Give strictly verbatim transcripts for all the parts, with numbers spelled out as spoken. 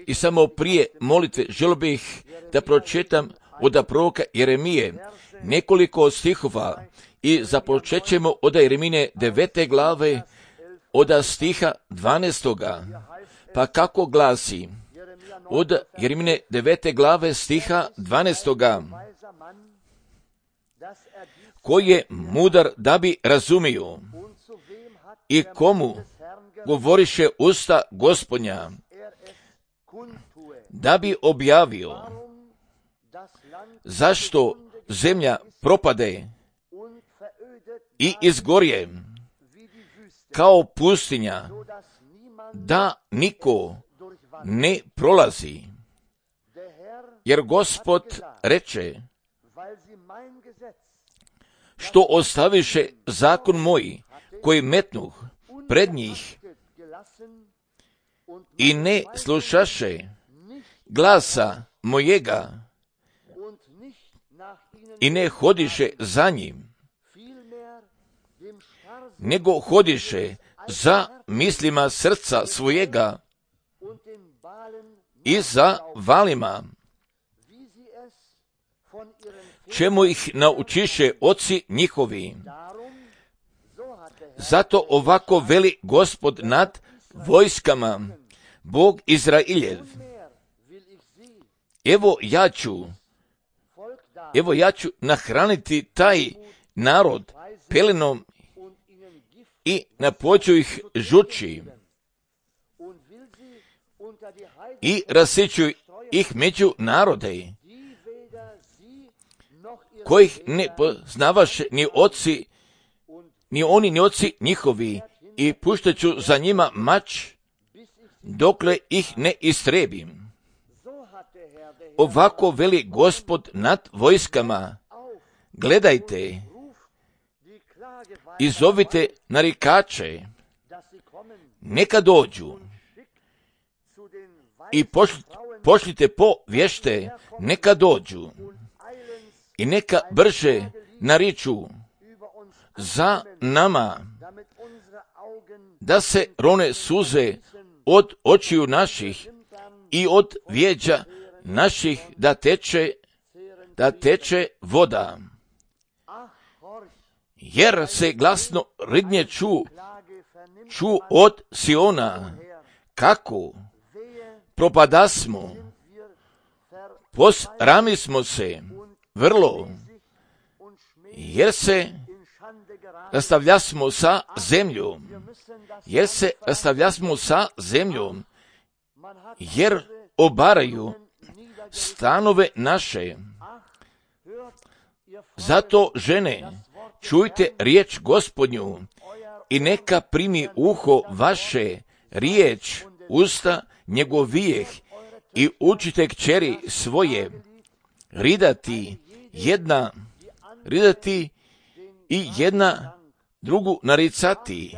I samo prije molitve želio bih da pročitam od proroka Jeremije nekoliko stihova i započet ćemo od Jeremine devete glave od stiha dvanaestoga. Pa kako glasi od Jeremine devete glave stiha dvanaestoga. Koji je mudar da bi razumio i komu govoriše usta Gospodnja, da bi objavio zašto zemlja propade i izgorje kao pustinja, da niko ne prolazi. Jer Gospod reče, što ostaviše zakon moj, koji metnuh pred njih i ne slušaše glasa mojega i ne hodiše za njim, nego hodiše za mislima srca svojega i za valima, čemu ih naučiše oci njihovi. Zato ovako veli Gospod nad vojskama, Bog Izrailjev. Evo ja ću, evo ja ću nahraniti taj narod pelenom i napoću ih žuči i rasiću ih među narode, kojih ne poznavaše ni oci, ni oni ni oci njihovi, i puštat ću za njima mač, dokle ih ne istrebim. Ovako veli Gospod nad vojskama, gledajte i zovite narikače, neka dođu, i pošljite, pošljite po vješte, neka dođu, i neka brže nariču za nama, da se rone suze od očiju naših i od vijeđa naših, da teče, da teče voda. Jer se glasno ridnje ču, ču od Siona, kako propadasmo, posrami smo se vrlo, jer se rastavljasmo sa zemljom, jer se rastavljasmo sa zemljom, jer obaraju stanove naše. Zato, žene, čujte riječ Gospodnju i neka primi uho vaše riječ usta njegovijeh i učite kćeri svoje ridati jedna, ridati i jedna drugu naricati,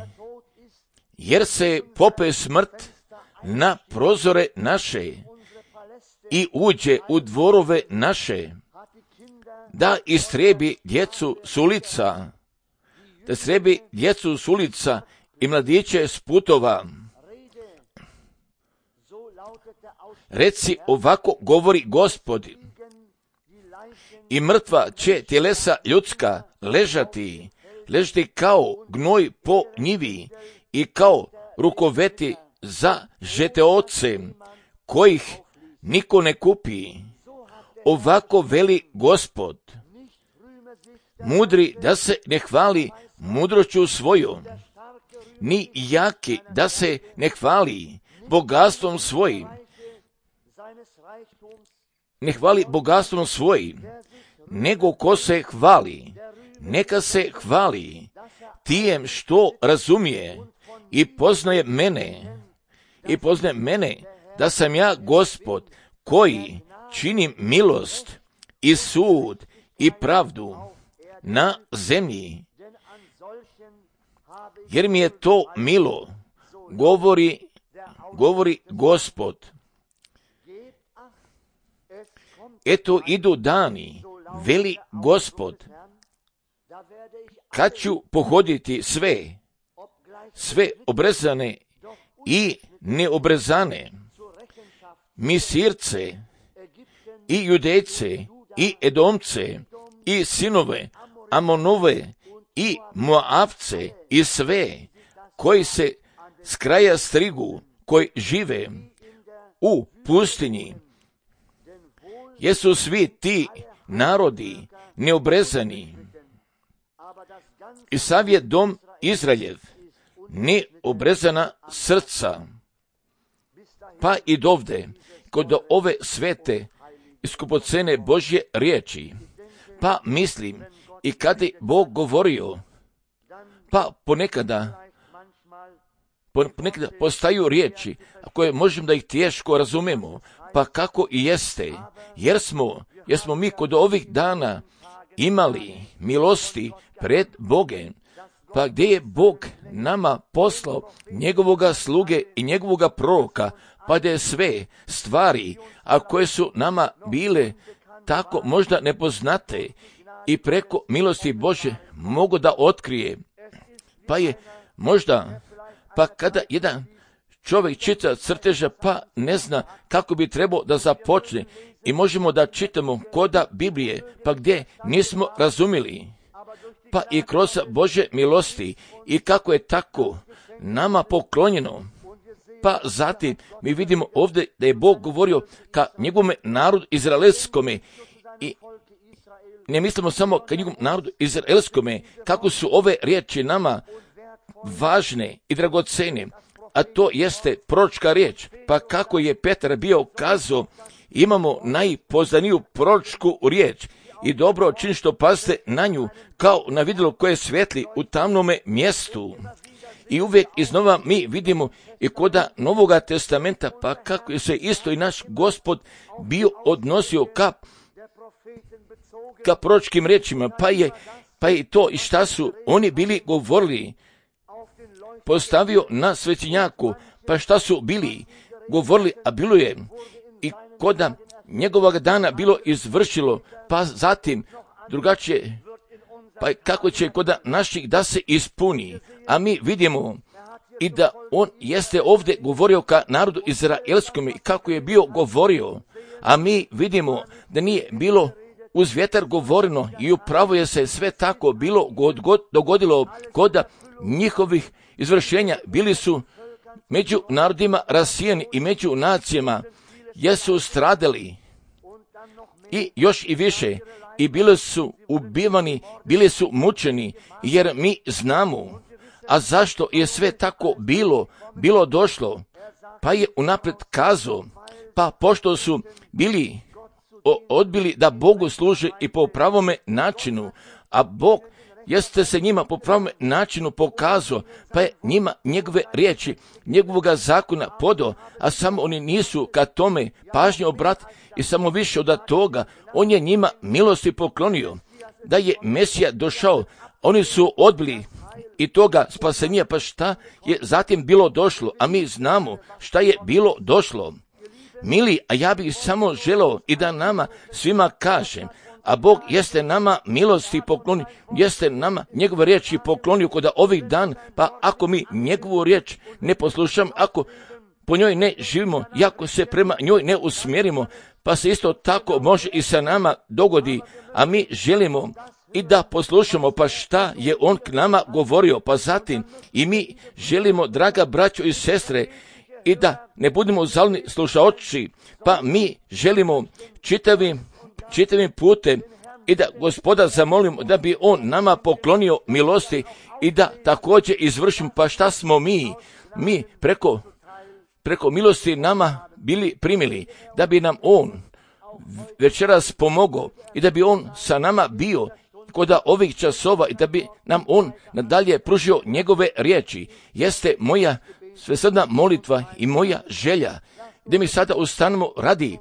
jer se pope smrt na prozore naše i uđe u dvorove naše, da istrebi djecu s ulica, da istrebi djecu s ulica i mladiće s putova. Reci, ovako govori Gospod, i mrtva će tjelesa ljudska ležati, ležati kao gnoj po njivi i kao rukoveti za žeteoce, kojih niko ne kupi. Ovako veli Gospod, mudri da se ne hvali mudroću svojom, ni jaki da se ne hvali bogatstvom svojim, ne hvali bogatstvom svojim, nego ko se hvali, neka se hvali tijem što razumije i poznaje mene, i poznaje mene da sam ja Gospod koji činim milost i sud i pravdu na zemlji, jer mi je to milo, govori, govori Gospod. Eto idu dani, veli Gospod, kad ću pohoditi sve, sve obrezane i neobrezane, Misirce i Judejce i Edomce i sinove Amonove i Moavce i sve koji se s kraja strigu, koji žive u pustinji. Jesu svi ti narodi neobrezani. I sav je dom Izraeljev neobrezana srca. Pa i dovde, kod ove svete i skupocene Božje riječi, pa mislim i kada je Bog govorio, pa ponekada, ponekada postaju riječi koje možemo da ih teško razumemo, pa kako i jeste, jer smo, jer smo mi kod ovih dana imali milosti pred Bogem, pa gdje je Bog nama poslao njegovoga sluge i njegovoga proroka, pa da je sve stvari, a koje su nama bile tako možda nepoznate i preko milosti Bože mogu da otkrije. Pa je možda, pa kada jedan čovjek čita crteža, pa ne zna kako bi trebao da započne i možemo da čitamo koda Biblije, pa gdje nismo razumjeli, pa i kroz Bože milosti i kako je tako nama poklonjeno. Pa zatim mi vidimo ovdje da je Bog govorio ka njegovome narodu izraelskome i ne mislimo samo ka njegovom narodu izraelskome, kako su ove riječi nama važne i dragocene, a to jeste proročka riječ. Pa kako je Petar bio kazao, imamo najpoznaniju proročku riječ i dobro čini što pazite na nju kao na vidjelo koje svetli u tamnome mjestu. I uvijek iznova mi vidimo i koda Novoga testamenta, pa kako je se isto i naš Gospod bio odnosio ka, ka proročkim riječima, pa je, pa je to i šta su oni bili govorili, postavio na svećenjaku, pa šta su bili govorili, a bilo je i koda njegovog dana bilo izvršilo, pa zatim drugačije, pa kako će koda naših da se ispuni, a mi vidimo i da on jeste ovdje govorio ka narodu izraelskom i kako je bio govorio, a mi vidimo da nije bilo uz vjetar govoreno i upravo je se sve tako bilo god, god, dogodilo koda njihovih izvršenja. Bili su među narodima rasijeni i među nacijama jesu stradali i još i više i bili su ubivani, bili su mučeni, jer mi znamo, a zašto je sve tako bilo, bilo došlo, pa je unaprijed kazao, pa pošto su bili odbili da Bogu služe i po pravome načinu, a Bog jeste se njima po pravome načinu pokazao, pa je njima njegove riječi, njegovoga zakona podao, a samo oni nisu ka tome pažnje obrat i samo više od toga, on je njima milosti poklonio, da je Mesija došao, oni su odbili i toga spasenja, pa šta je zatim bilo došlo, a mi znamo šta je bilo došlo. Mili, a ja bih samo želeo i da nama svima kažem, a Bog jeste nama milosti poklonio, jeste nama njegove riječi poklonio kod ovih dan, pa ako mi njegovu riječ ne poslušamo, ako po njoj ne živimo, i ako se prema njoj ne usmjerimo, pa se isto tako može i sa nama dogodi, a mi želimo i da poslušamo, pa šta je on k nama govorio, pa zatim i mi želimo, draga braćo i sestre, i da ne budemo zalni slušaoči, pa mi želimo čitavim, čitavim putem i da Gospoda zamolimo da bi on nama poklonio milosti i da također izvršimo, pa šta smo mi, mi preko, preko milosti nama bili primili, da bi nam on večeras pomogao i da bi on sa nama bio kod ovih časova i da bi nam on nadalje pružio njegove riječi. Jeste moja svesrdna molitva i moja želja da mi sada ustanemo radi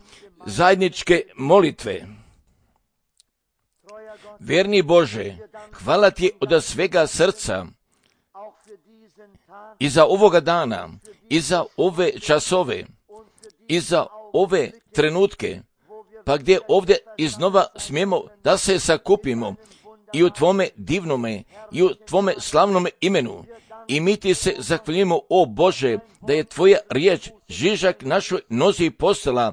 zajedničke molitve. Verni Bože, hvala ti od svega srca i za ovoga dana, i za ove časove, i za ove trenutke, pa gdje ovdje iznova smijemo da se sakupimo i u tvome divnome i u tvome slavnome imenu. I mi ti se zahvaljujemo, o Bože, da je tvoja riječ žižak našoj nozi postala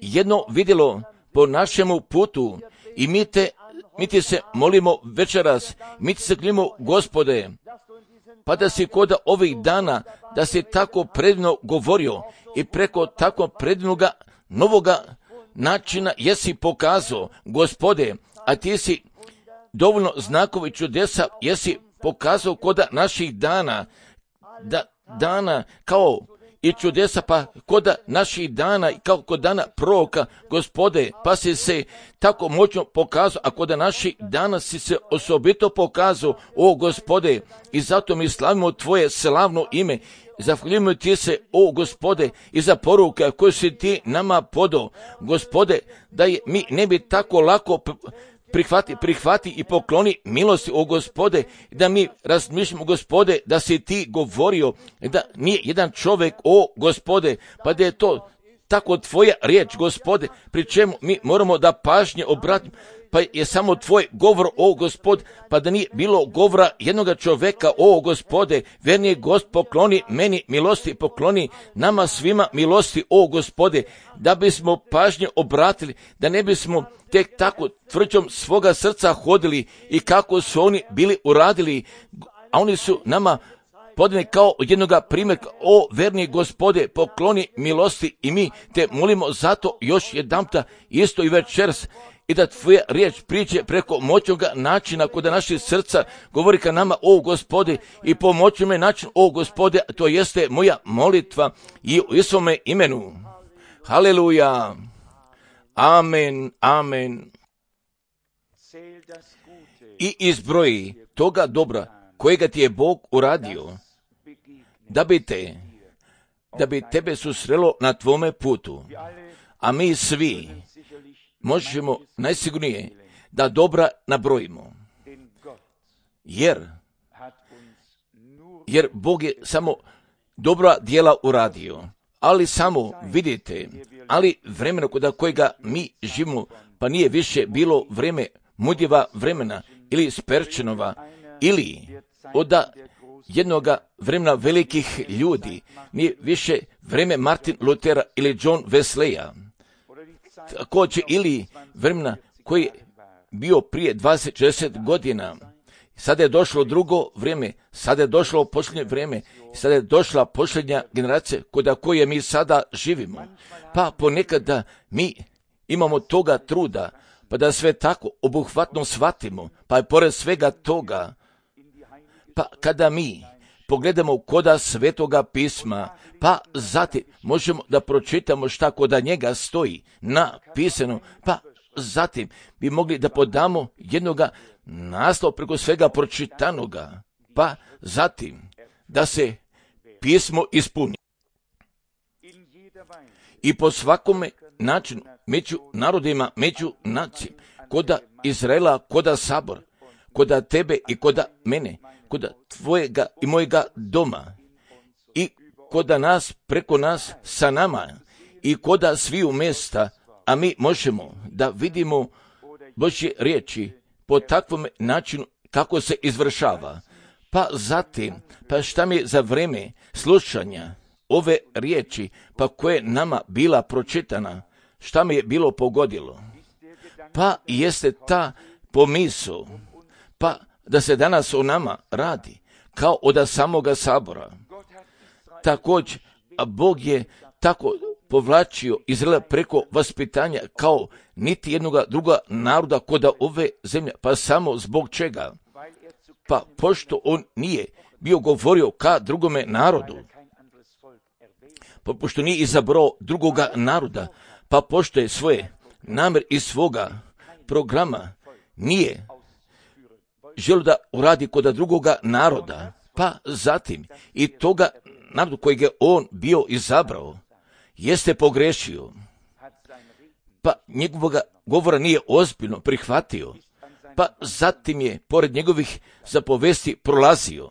jedno vidjelo po našemu putu. I mi te, mi ti se molimo večeras, mi ti se zahvaljujemo, Gospode, pa da si kod ovih dana, da si tako predivno govorio i preko tako predivnoga novoga načina jesi pokazao, Gospode, a ti si dovoljno znakovi čudesa jesi pokazao kod naših dana, da dana kao i čudesa, pa kod naših dana i kao kod dana proroka, Gospode, pa si se tako moćno pokazao, a kod naših dana si se osobito pokazao, o Gospode, i zato mi slavimo tvoje slavno ime. Zahvaljujemo ti se, o Gospode, i za poruke koje si ti nama podao, Gospode, da je mi ne bi tako lako prihvati, prihvati i pokloni milosti, o Gospode, da mi razmišljamo, Gospode, da si ti govorio, da nije jedan čovjek, o Gospode, pa da je to tako tvoja riječ, Gospode, pri čemu mi moramo da pažnje obratimo, pa je samo tvoj govor, o Gospod, pa da nije bilo govora jednoga čovjeka, o Gospode, verni Gost, pokloni meni milosti, pokloni nama svima milosti, o Gospode, da bismo pažnje obratili, da ne bismo tek tako tvrđom svoga srca hodili i kako su oni bili uradili, a oni su nama podane kao jednoga primjerka, o verni Gospode, pokloni milosti i mi te molimo zato još jedanputa isto i večeras, i da tvoja riječ priđe preko moćnoga načina kod naših srca, govori ka nama, o Gospode, i po moćnome načinu, o Gospode, to jeste moja molitva i u Isovome imenu. Haleluja. Amen, amen. I izbroji toga dobra kojega ti je Bog uradio, da bi te, da bi tebe susrelo na tvome putu. A mi svi možemo najsigurnije da dobra nabrojimo. Jer, jer Bog je samo dobra djela uradio. Ali samo vidite, ali vremena kod kojega mi živimo, pa nije više bilo vrijeme mudjeva vremena ili Sperčenova, ili od jednoga vremena velikih ljudi, nije više vrijeme Martin Lutera ili John Wesleya, također ili vremena koji je bio prije dvadeset šezdeset godina. Sada je došlo drugo vrijeme, sada je došlo posljednje vrijeme, sada je došla posljednja generacija kod koje mi sada živimo. Pa ponekada mi imamo toga truda, pa da sve tako obuhvatno shvatimo, pa je pored svega toga, pa kada mi pogledamo koda Svetoga pisma, pa zatim možemo da pročitamo šta koda njega stoji napisano, pa zatim bi mogli da podamo jednoga naslov preko svega pročitanoga, pa zatim da se pismo ispuni. I po svakome načinu, među narodima, među nacijama, koda Izraela, koda sabor, koda tebe i koda mene, koda tvojega i mojega doma, i koda nas, preko nas, sa nama, i koda sviju mjesta, a mi možemo da vidimo Božje riječi po takvom načinu kako se izvršava. Pa zatim, pa šta mi je za vrijeme slušanja ove riječi, pa koje nama bila pročitana, šta mi je bilo pogodilo? Pa jeste ta pomisao, pa da se danas o nama radi, kao od samoga sabora. Također, a Bog je tako povlačio Izraela preko vaspitanja kao niti jednoga druga naroda koda ove zemlje, pa samo zbog čega? Pa pošto on nije bio govorio ka drugome narodu, pa pošto nije izabrao drugoga naroda, pa pošto je svoje namjer iz svoga programa nije želio da uradi kod drugoga naroda, pa zatim i toga narodu kojeg je on bio izabrao, jeste pogrešio, pa njegovoga govora nije ozbiljno prihvatio, pa zatim je pored njegovih zapovesti prolazio,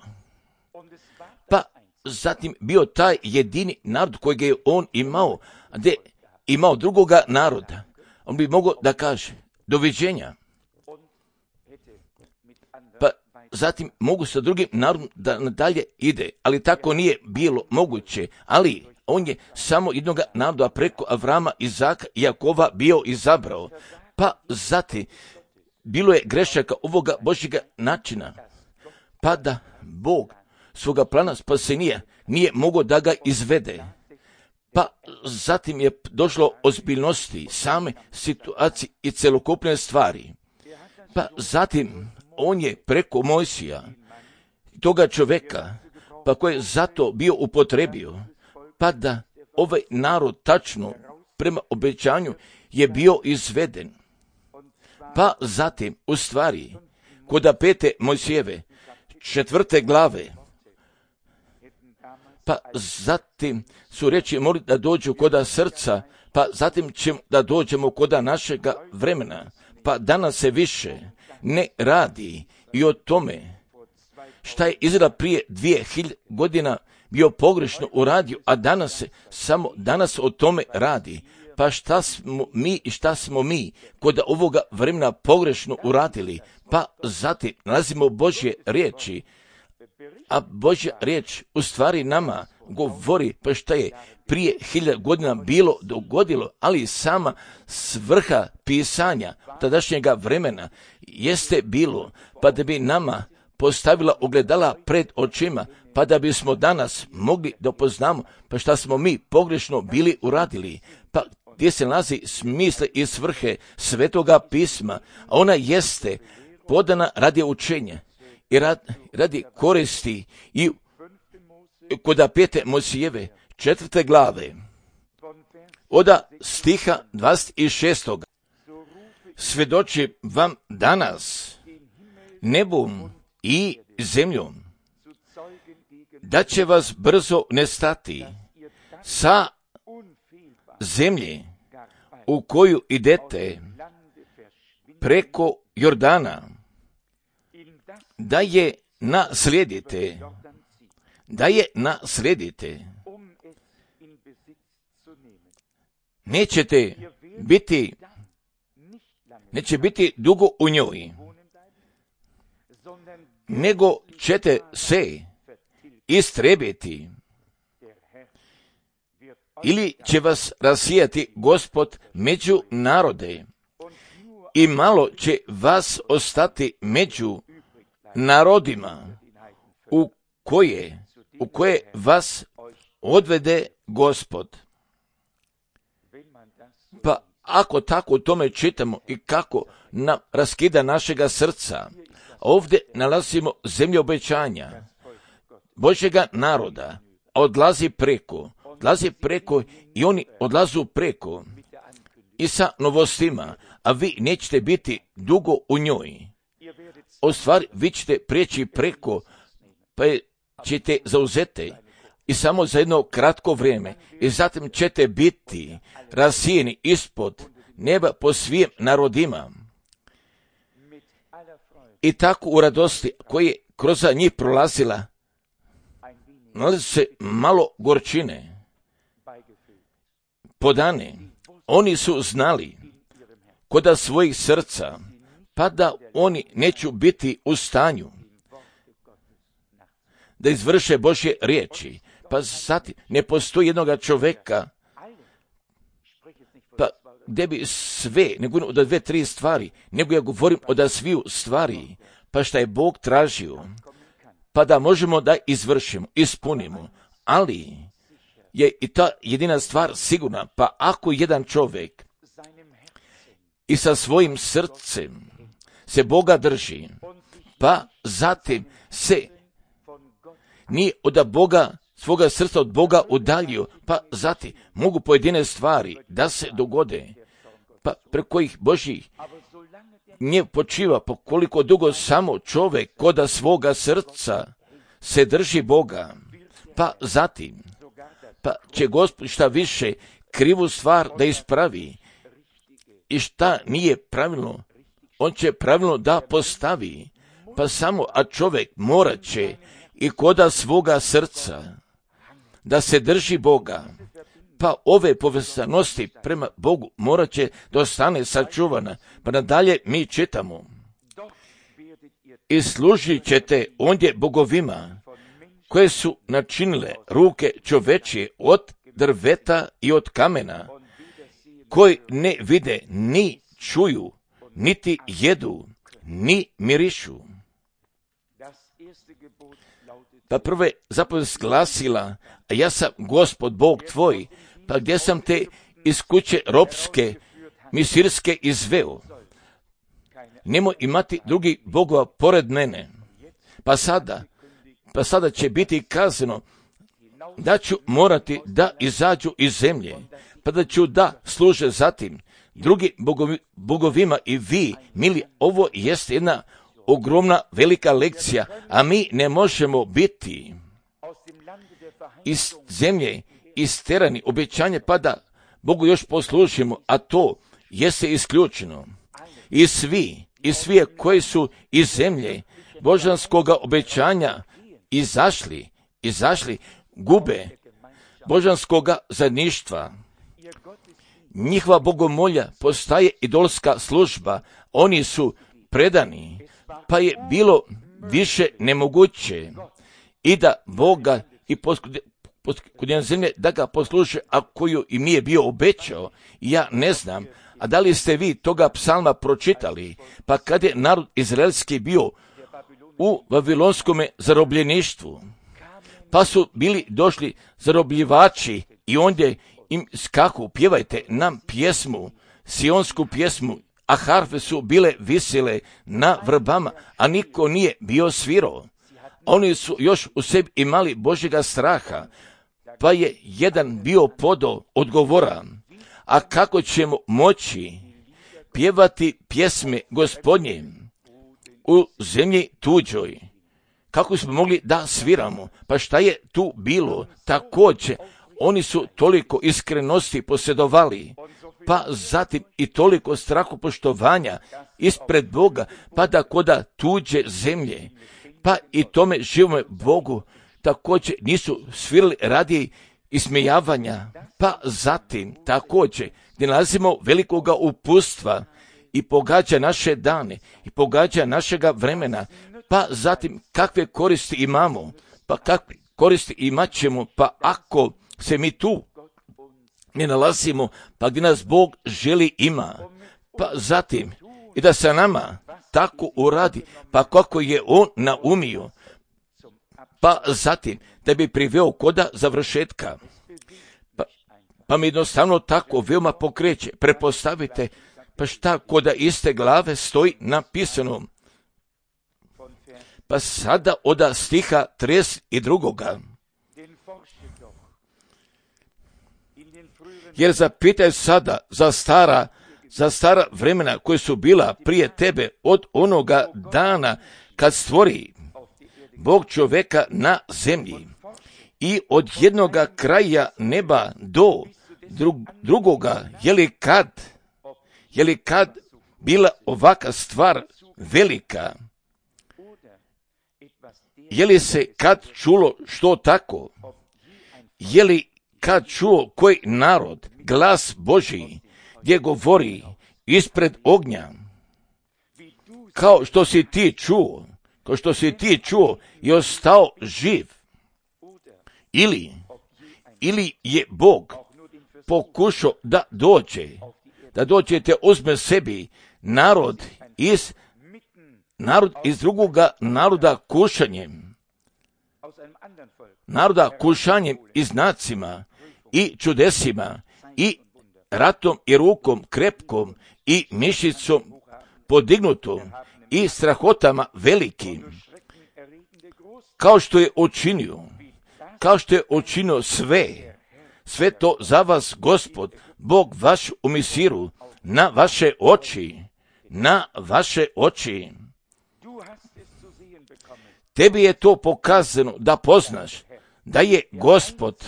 pa zatim bio taj jedini narod kojeg je on imao, a gdje imao drugoga naroda, on bi mogao da kaže doviđenja. Pa zatim mogu sa drugim narodom da nadalje ide, ali tako nije bilo moguće, ali on je samo jednog naroda preko Avrama, Izaka i Jakova bio izabrao. Pa zatim bilo je grešaka ovoga Božjega načina, pa da Bog svoga plana spasenija nije mogao da ga izvede. Pa zatim je došlo ozbiljnosti same situacije i celokupne stvari. Pa zatim on je preko Mojsija, toga čoveka, pa koji je zato bio upotrebio, pa da ovaj narod tačno prema obećanju je bio izveden. Pa zatim, u stvari, kod pete Mojsijeve, četvrte glave, pa zatim su reći moli da dođu koda srca, pa zatim ćemo da dođemo koda našega vremena, pa danas se više ne radi i o tome šta je Izrael prije dvije hiljade godina bio pogrešno uradio, a danas se samo danas o tome radi. Pa šta smo mi i šta smo mi kod ovoga vremena pogrešno uradili? Pa zatim nalazimo Božje riječi, a Božja riječ u stvari nama govori pa šta je prije hiljada godina bilo dogodilo, ali sama svrha pisanja tadašnjega vremena jeste bilo pa da bi nama postavila ogledala pred očima, pa da bismo danas mogli da poznamo pa šta smo mi pogrešno bili uradili. Pa gdje se nalazi smisle i svrhe Svetoga pisma, a ona jeste podana radi učenja i radi koristi i kod pete Mojsijeve četvrte glave od stiha dvadeset šestog svedoči vam danas nebom i zemljom da će vas brzo nestati sa zemlje u koju idete preko Jordana, da je naslijedite, da je naslijedite. Nećete biti, neće biti dugo u njoj, nego ćete se istrebiti, ili će vas rasijati Gospod među narode i malo će vas ostati među narodima u koje, u koje vas odvede Gospod. Pa ako tako o tome čitamo i kako nam raskida našega srca, ovdje nalazimo zemlju obećanja Božjega naroda, odlazi preko, odlazi preko i oni odlazu preko i sa novostima, a vi nećete biti dugo u njoj. O stvari, vi ćete prijeći preko, pa ćete zauzeti i samo za jedno kratko vrijeme i zatim ćete biti rasijeni ispod neba po svim narodima. I tako u radosti koje je kroz njih prolazila, nalazi se malo gorčine. Podane, oni su znali koda svojih srca, pa da oni neću biti u stanju da izvrše Božje riječi. Pa zatim ne postoji jednoga čoveka, pa gdje bi sve, ne govorim od dve, tri stvari, nego ja govorim od sviju stvari, pa šta je Bog tražio, pa da možemo da izvršimo, ispunimo, ali je i ta jedina stvar sigurna, pa ako jedan čovjek i sa svojim srcem se Boga drži, pa zatim se nije od Boga, svoga srca od Boga udaljio, pa zatim mogu pojedine stvari da se dogode, pa preko kojih Božji nje počiva, po koliko dugo samo čovjek koda svoga srca se drži Boga, pa zatim, pa će Gospod šta više krivu stvar da ispravi i šta nije pravilno, on će pravilno da postavi, pa samo, a čovjek morat će i koda svoga srca da se drži Boga, pa ove povezanosti prema Bogu morat će da ostane sačuvana. Pa nadalje mi čitamo, i služit ćete ondje bogovima, koje su načinile ruke čovečije od drveta i od kamena, koji ne vide, ni čuju, niti jedu, ni mirišu. Pa prve zapovijest glasila, a ja sam Gospod Bog tvoj, pa gdje sam te iz kuće ropske, misirske izveo. Nemoj imati drugih bogova pored mene. Pa sada, pa sada će biti kazano da ću morati da izađu iz zemlje, pa da ću da služe zatim drugi bogovi, bogovima i vi, mili, ovo jest jedna ogromna velika lekcija, a mi ne možemo biti iz zemlje isterani obećanje pa da Bogu još poslužimo, a to jeste isključeno. I svi, i svi koji su iz zemlje božanskoga obećanja izašli, izašli, gube božanskoga zajedništva. Njihova bogomolja postaje idolska služba, oni su predani, pa je bilo više nemoguće i da Boga i gospodina zemlje da ga posluže, a koju im nije bio obećao. Ja ne znam, a da li ste vi toga psalma pročitali, pa kad je narod izraelski bio u vavilonskom zarobljeništvu, pa su bili došli zarobljivači i ondje im skaku, pjevajte nam pjesmu, sionsku pjesmu, a harfe su bile visile na vrbama, a niko nije bio svirao. Oni su još u sebi imali Božjega straha, pa je jedan bio podo odgovora, a kako ćemo moći pjevati pjesme Gospodnje u zemlji tuđoj? Kako smo mogli da sviramo? Pa šta je tu bilo? Također, oni su toliko iskrenosti posjedovali, pa zatim i toliko strahopoštovanja ispred Boga, pa da koda tuđe zemlje, pa i tome živome Bogu također nisu svirali radi ismijavanja, pa zatim također gdje nalazimo velikoga upustva i pogađa naše dane i pogađa našega vremena, pa zatim kakve koristi imamo, pa kakve koristi imat ćemo, pa ako se mi tu ne nalazimo, pa gdje nas Bog želi ima, pa zatim i da se nama tako uradi, pa kako je On naumio, pa zatim da bi priveo koda završetka. Pa, pa mi jednostavno tako veoma pokreće. Prepostavite, pa šta koda iste glave stoji napisano. Pa sada oda stiha trideset drugoga. Jer zapitaj sada za stara, za stara vremena koje su bila prije tebe od onoga dana kad stvori Bog čoveka na zemlji i od jednoga kraja neba do drug, drugoga, je li kad, je li kad bila ovaka stvar velika? Je li se kad čulo što tako? Je li kad čuo koji narod glas Božji gdje govori ispred ognja? Kao što si ti čuo, kao što si ti čuo i ostao živ. Ili, ili je Bog pokušao da dođe, da dođete uzme sebi narod iz, narod iz drugoga naroda kušanjem, naroda kušanjem i znacima i čudesima i ratom i rukom krepkom i mišicom podignutom i strahotama velikim, kao što je učinio, kao što je učinio sve, sve to za vas Gospod, Bog vaš u Misiru, na vaše oči, na vaše oči. Tebi je to pokazano da poznaš da je Gospod,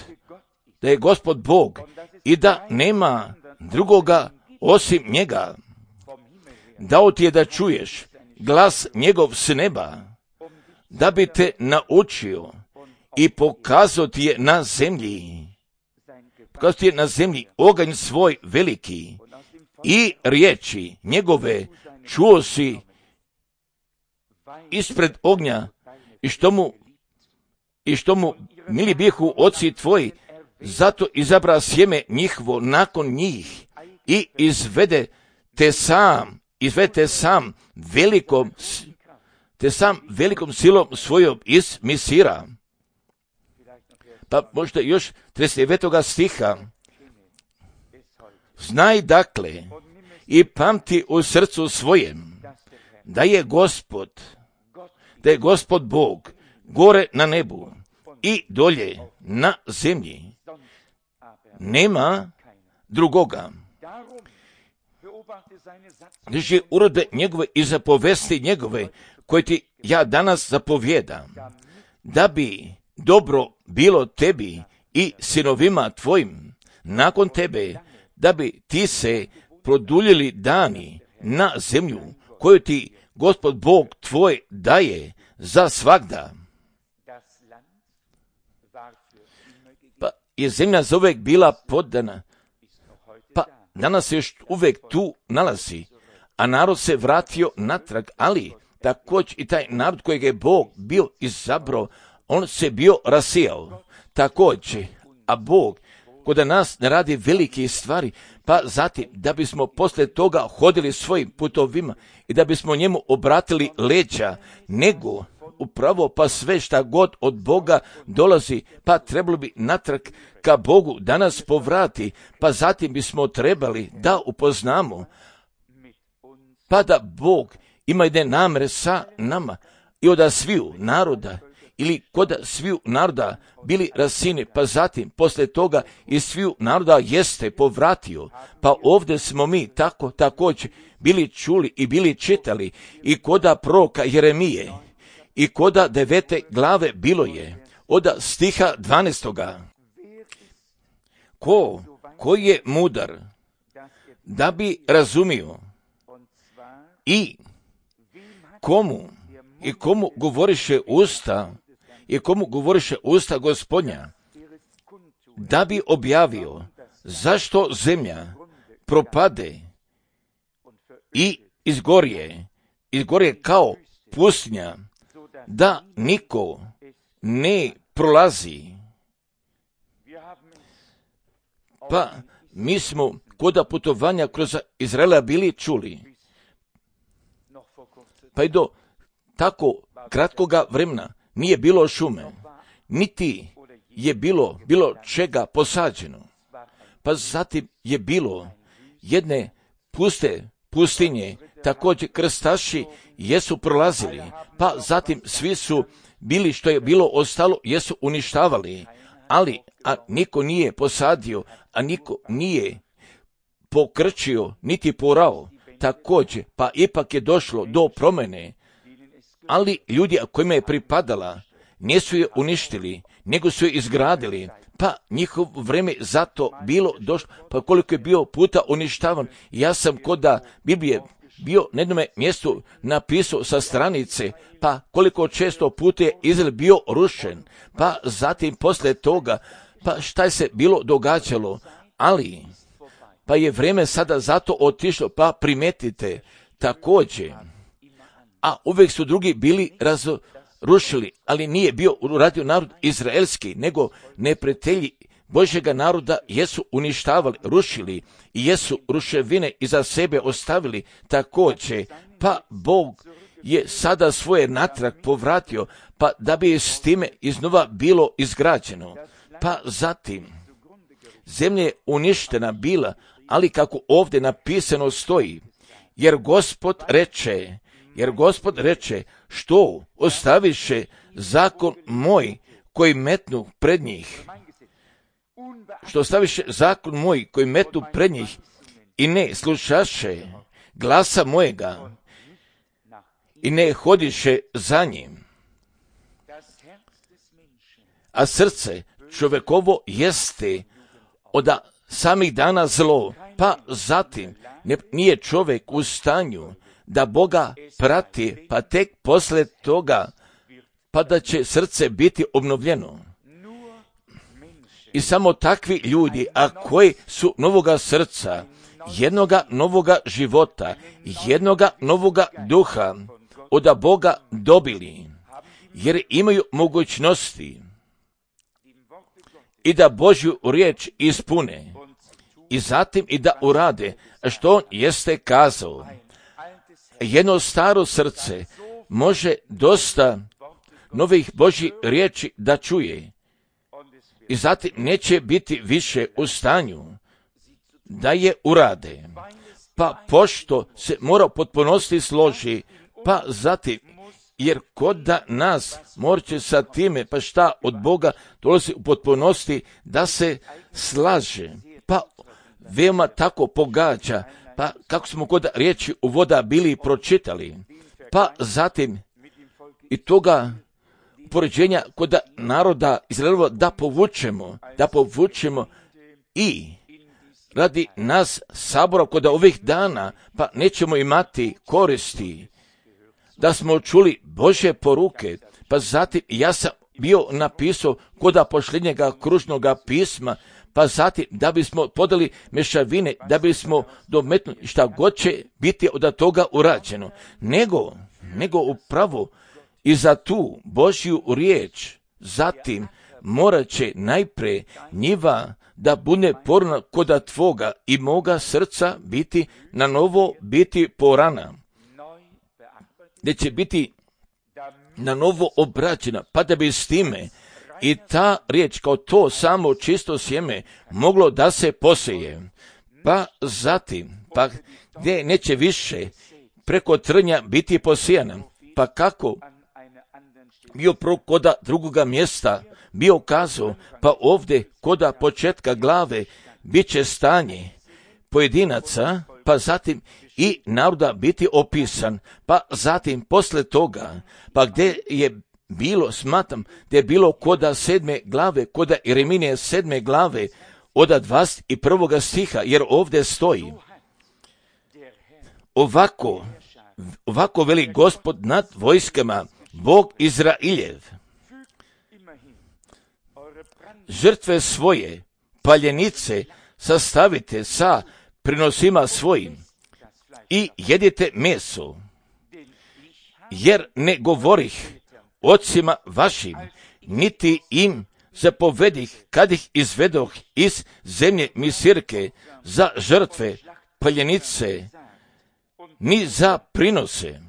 da je Gospod Bog i da nema drugoga osim njega. Dao ti je da čuješ glas njegov s neba, da bi te naučio i pokazao ti je na zemlji, pokazao ti je na zemlji oganj svoj veliki i riječi njegove čuo si ispred ognja i što mu, i što mu mili bihu oci tvoji, zato izabra sjeme njihovo nakon njih i izvede te sam, izvede te sam velikom, te sam velikom silom svojom iz Misira. Pa možda još trideset devetoga stiha. Znaj dakle i pamti u srcu svojem da je Gospod, da je Gospod Bog gore na nebu i dolje na zemlji. Nema drugoga. Drži uredbe njegove i zapovesti njegove koje ti ja danas zapovjedam, da bi dobro bilo tebi i sinovima tvojim nakon tebe, da bi ti se produljili dani na zemlju koju ti Gospod Bog tvoj daje za svagda. Pa je zemlja za uvijek bila poddana, pa danas se još uvijek tu nalazi, a narod se vratio natrag, ali također i taj narod kojeg je Bog bio izabrao, on se bio rasijao. Također, a Bog kod nas ne radi velike stvari, pa zatim da bismo poslije toga hodili svojim putovima i da bismo njemu obratili leđa, nego upravo pa sve šta god od Boga dolazi, pa trebalo bi natrag ka Bogu da nas povrati, pa zatim bismo trebali da upoznamo, pa da Bog ima jedne namere sa nama i od sviju naroda, ili kod sviju naroda bili rasini, pa zatim poslije toga i sviju naroda jeste povratio, pa ovdje smo mi tako također bili čuli i bili čitali i koda proroka Jeremije i koda devete glave bilo je od stiha dvanaestoga. Ko, ko je mudar da bi razumio i komu i komu govoriše usta i komu govoriše usta Gospodnja, da bi objavio zašto zemlja propade i izgorje, izgorje kao pustinja, da niko ne prolazi. Pa mi smo koda putovanja kroz Izraela bili čuli, pa i do tako kratkoga vremena nije bilo šume, niti je bilo bilo čega posađeno. Pa zatim je bilo jedne puste pustinje, također krstaši jesu prolazili, pa zatim svi su bili što je bilo ostalo, jesu uništavali, ali a niko nije posadio, a niko nije pokrčio, niti porao, također, pa ipak je došlo do promjene, ali ljudi kojima je pripadala nisu je uništili, nego su je izgradili, pa njihov vreme zato bilo došlo, pa koliko je bio puta uništavan. Ja sam kod da Biblije bio na jednom mjestu napisao sa stranice, pa koliko često puta je Izrael bio rušen, pa zatim poslije toga, pa šta je se bilo događalo, ali pa je vrijeme sada zato otišlo, pa primetite također, a uvijek su drugi bili razrušili, ali nije bio uradio narod izraelski, nego neprijatelji Božjega naroda jesu uništavali, rušili i jesu ruševine iza sebe ostavili također, pa Bog je sada svoje natrag povratio, pa da bi s time iznova bilo izgrađeno. Pa zatim, zemlja je uništena bila, ali kako ovdje napisano stoji, jer Gospod reče, jer Gospod reče, što ostaviše zakon moj koji metnu pred njih, što ostaviše zakon moj koji metnu pred njih i ne slušaše glasa mojega i ne hodiše za njim. A srce čovjekovo jeste od samih dana zlo, pa zatim nije čovjek u stanju da Boga prati, pa tek poslije toga, pa da će srce biti obnovljeno. I samo takvi ljudi, a koji su novoga srca, jednoga novoga života, jednoga novoga duha od Boga dobili, jer imaju mogućnosti i da Božju riječ ispune i zatim i da urade što on jeste kazao. Jedno staro srce može dosta novih Božjih riječi da čuje i zatim neće biti više u stanju da je urade. Pa pošto se mora u potpunosti složi, pa zatim, jer kod da nas morće sa time, pa šta od Boga dolazi u potpunosti da se slaže, pa veoma tako pogađa, pa kako smo kod riječi u voda bili pročitali, pa zatim i toga poređenja kod naroda Izraelova da povučemo, da povučemo i radi nas sabora kod ovih dana, pa nećemo imati koristi da smo čuli Božje poruke, pa zatim ja sam bio napisao kod pošljednjega kružnoga pisma, pa zatim da bismo podali mešavine, da bismo dometnuli šta god će biti od toga urađeno, nego, nego upravo i za tu Božju riječ, zatim morat će najpre njiva da bude porna koda tvoga i moga srca biti na novo biti porana, gdje će biti na novo obrađena, pa da bi s time i ta riječ kao to samo čisto sjeme moglo da se poseje. Pa zatim, pa gdje neće više preko trnja biti posijana, pa kako bio prvo koda drugoga mjesta bio kazao, pa ovdje koda početka glave bit će stanje pojedinaca, pa zatim i naroda biti opisan, pa zatim posle toga, pa gdje je bilo, smatram, gdje je bilo koda sedme glave, koda Jeremije sedme glave, od dvadeset prvoga stiha, jer ovdje stoji, ovako, ovako veli Gospod nad vojskama, Bog Izrailjev, žrtve svoje, paljenice, sastavite sa prinosima svojim i jedite meso, jer ne govorih ocima vašim, niti im zapovedih kad ih izvedoh iz zemlje Misirke za žrtve, paljenice, ni za prinose,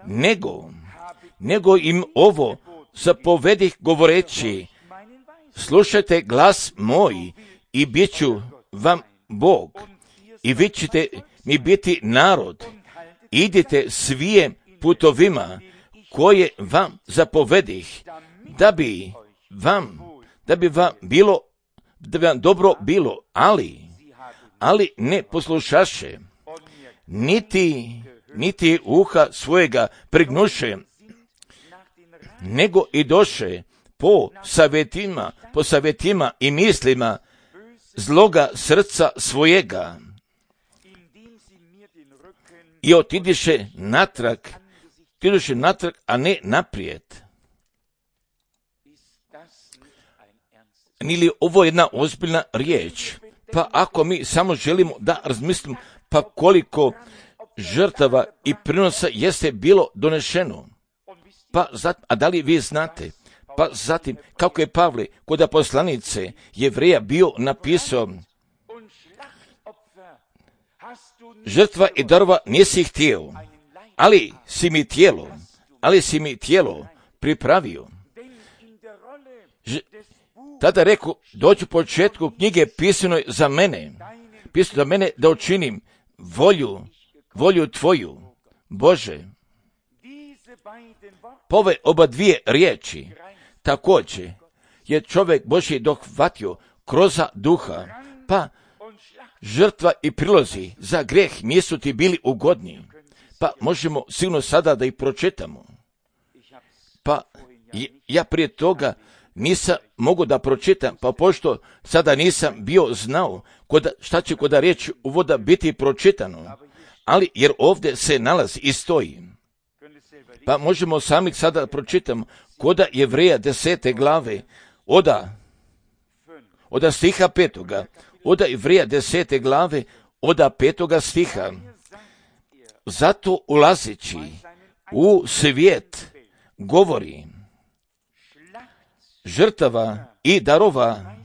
nego, nego im ovo zapovedih govoreći, slušajte glas moj i bit ću vam Bog i vi ćete mi biti narod, idite svijem putovima koje vam zapovedih, da bi vam, da bi vam bilo, da bi vam dobro bilo, ali, ali ne poslušaše, niti, niti uha svojega prignuše, nego i doše po savjetima, po savjetima i mislima zloga srca svojega i otidiše natrag, otidiše natrag, a ne naprijed. Nije li ovo jedna ozbiljna riječ? Pa ako mi samo želimo da razmislimo, pa koliko žrtava i prinosa jeste bilo donešeno. Pa zatim, a da li vi znate? Pa zatim, kako je Pavle kod poslanice Jevreja bio napisao, žrtva i darova nisi htio, ali si mi tijelo, ali si mi tijelo pripravio. Ž- Tada reku, dođu početku knjige pisanoj za mene, pisano za mene da učinim volju, volju tvoju, Bože. Po ove oba dvije riječi, također je čovjek Božji dohvatio kroz duha, pa žrtva i prilozi za greh nisu ti bili ugodni, pa možemo sigurno sada da ih pročitamo. Pa ja prije toga nisam mogu da pročitam, pa pošto sada nisam bio znao koda, šta će kod riječi uvoda biti pročitano, ali jer ovdje se nalazi i stoji. Pa možemo sami sada pročitamo koda Jevreja desete glave, oda, oda stiha petoga, oda Jevreja desete glave, oda petoga stiha. zato ulazeći u svijet govori žrtava i darova,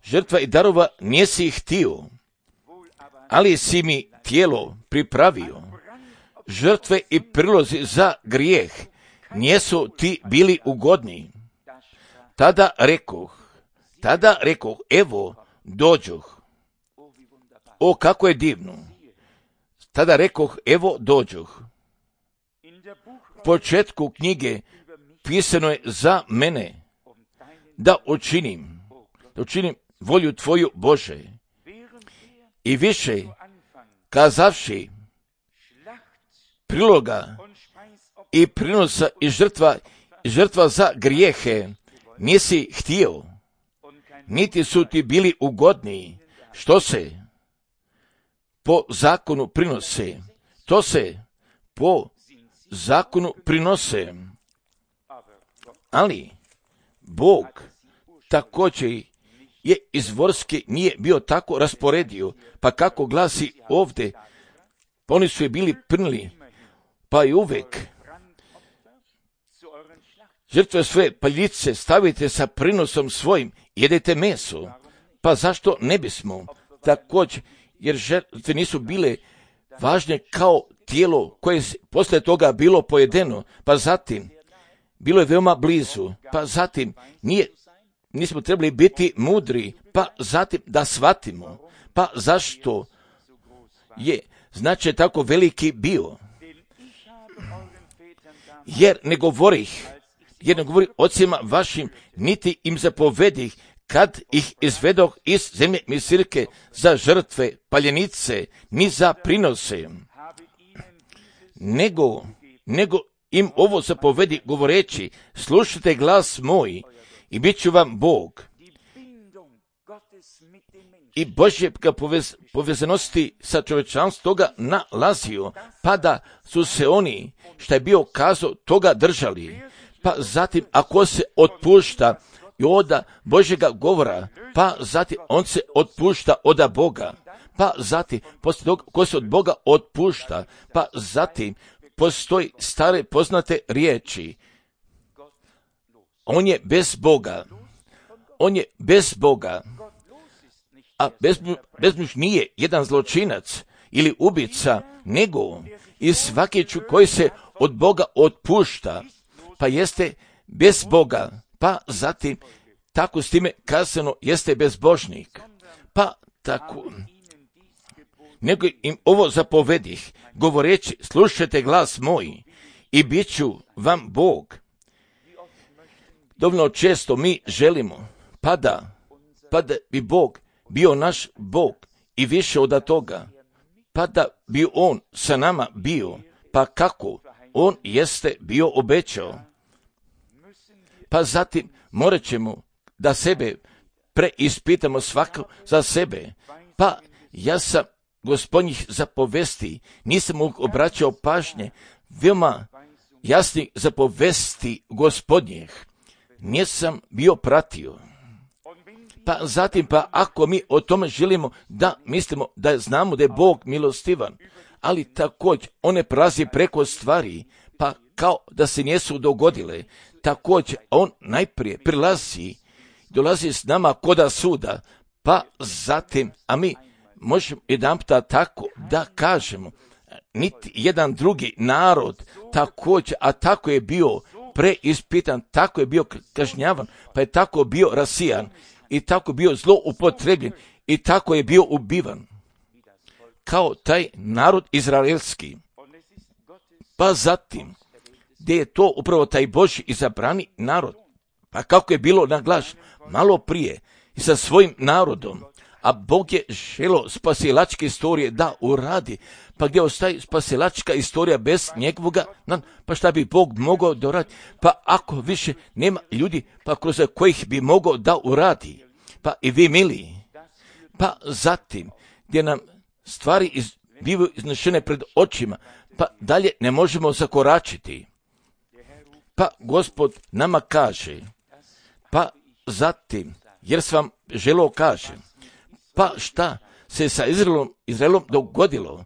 žrtva i darova nisi htio, ali si mi tijelo pripravio. Žrtve i prilozi za grijeh nisu ti bili ugodni. Tada rekoh, tada rekoh, evo dođoh. O, kako je divno. Tada rekoh, evo dođoh. U početku knjige pisano je za mene da učinim, da učinim volju tvoju, Bože. I više, kazavši priloga i prinosa i žrtva, i žrtva za grijehe, nisi htio, niti su ti bili ugodni, što se po zakonu prinose, to se po zakonu prinose. Ali Bog također je izvorski nije bio tako rasporedio, pa kako glasi ovdje, pa oni su je bili prnili, pa i uvek žrtve svoje paljice stavite sa prinosom svojim, jedete meso, pa zašto ne bismo također, jer žrtve nisu bile važne kao tijelo koje je poslije toga bilo pojedeno, pa zatim bilo je veoma blizu, pa zatim nije, nismo trebali biti mudri, pa zatim da shvatimo, pa zašto je značaj tako veliki bio. Jer ne govorih, jer ne govorih ocima vašim, niti im zapovedih, kad ih izvedoh iz zemlje Misirke za žrtve, paljenice, ni za prinose, nego, nego im ovo zapovedi govoreći, slušajte glas moj i bit ću vam Bog. I Božje ga povez, povezanosti sa čovječanstvom toga nalazio, pa da su se oni, šta je bio kazao, toga držali. Pa zatim, ako se otpušta i oda Božjega govora, pa zatim on se otpušta oda Boga. Pa zatim, poslije toga, ko se od Boga otpušta, pa zatim postoji stare poznate riječi. On je bez Boga. On je bez Boga. A bezmuž nije jedan zločinac ili ubica, nego i svaki koji se od Boga otpušta, pa jeste bez Boga, pa zatim tako s time kazano jeste bezbožnik. Pa tako, nego im ovo zapovedih, govoreći, slušajte glas moj i bit ću vam Bog. Dovoljno često mi želimo, pa da, pa da bi Bog bio naš Bog i više od toga, pa da bi On sa nama bio, pa kako On jeste bio obećao. Pa zatim morat ćemo da sebe preispitamo svako za sebe. Pa ja sam Gospodnjih zapovesti, nisam mu obraćao pažnje, veoma jasnih zapovesti Gospodnjih, nisam bio pratio. Pa zatim, pa ako mi o tome želimo da mislimo da znamo da je Bog milostivan, ali također one prelazi preko stvari, pa kao da se nisu dogodile, također on najprije prilazi, dolazi s nama koda suda, pa zatim, a mi možemo jedanputa tako da kažemo, niti jedan drugi narod također, a tako je bio preispitan, tako je bio kažnjavan, pa je tako bio rasijan, i tako bio zloupotrebljen, i tako je bio ubivan, kao taj narod izraelski. Pa zatim, gdje je to upravo taj Božji izabrani narod, pa kako je bilo naglašeno malo prije i sa svojim narodom, a Bog je želio spasilačke istorije da uradi, pa gdje ostaje spasilačka istorija bez njegovoga, pa šta bi Bog mogao da uradi, pa ako više nema ljudi, pa kroz kojih bi mogao da uradi, pa i vi mili, pa zatim gdje nam stvari iz, bivaju iznešene pred očima, pa dalje ne možemo zakoračiti, pa Gospod nama kaže, pa zatim, jer sam vam želio kažem, pa šta se sa Izraelom, Izraelom dogodilo,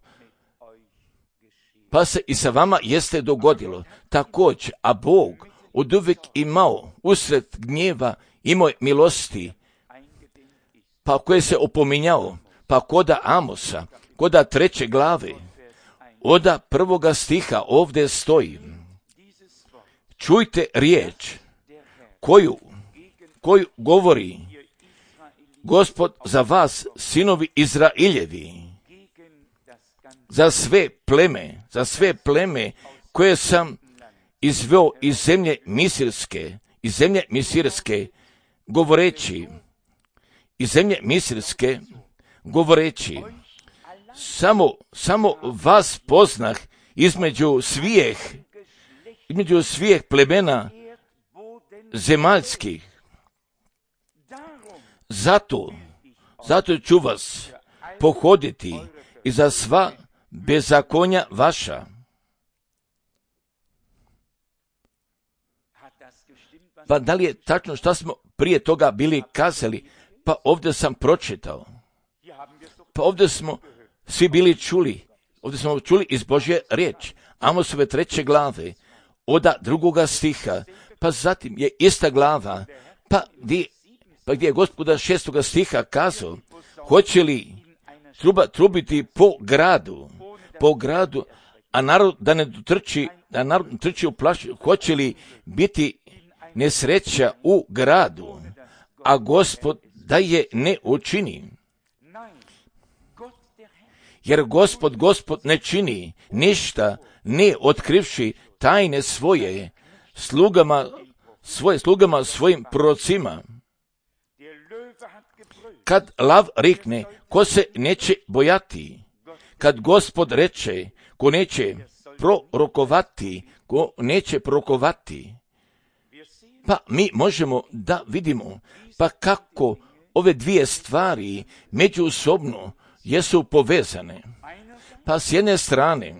pa se i sa vama jeste dogodilo također, a Bog oduvijek imao usred gnjeva imao milosti, pa koje se opominjao, pa koda Amosa, koda treće glave, oda prvoga stiha ovdje stoji. Čujte riječ koju, koju govori Gospod za vas, sinovi Izrailjevi, za sve pleme, za sve pleme koje sam izveo iz zemlje Misirske, iz zemlje Misirske, govoreći, iz zemlje Misirske, govoreći, samo, samo vas poznah između svijeh, između svijeh plemena zemaljskih. Zato, zato ću vas pohoditi i za sva bezakonja vaša. Pa da li je tačno što smo prije toga bili kazali? Pa ovdje sam pročitao. Pa ovdje smo svi bili čuli. Ovdje smo čuli iz Božje riječ. Amosove treće glave, oda drugoga stiha. Pa zatim je ista glava. Pa gdje, pa gdje je Gospoda šestoga stiha kazao, hoće li truba trubiti po gradu, po gradu, a narod da ne trči, da narod ne trči u plašu, hoće li biti nesreća u gradu, a Gospod da je ne učini. Jer Gospod, Gospod ne čini ništa, ne otkrivši tajne svoje slugama, svoje slugama svojim prorocima. Kad lav rikne, ko se neće bojati? Kad Gospod reče, ko neće prorokovati, ko neće prorokovati? Pa mi možemo da vidimo, pa kako ove dvije stvari međusobno jesu povezane. Pa s jedne strane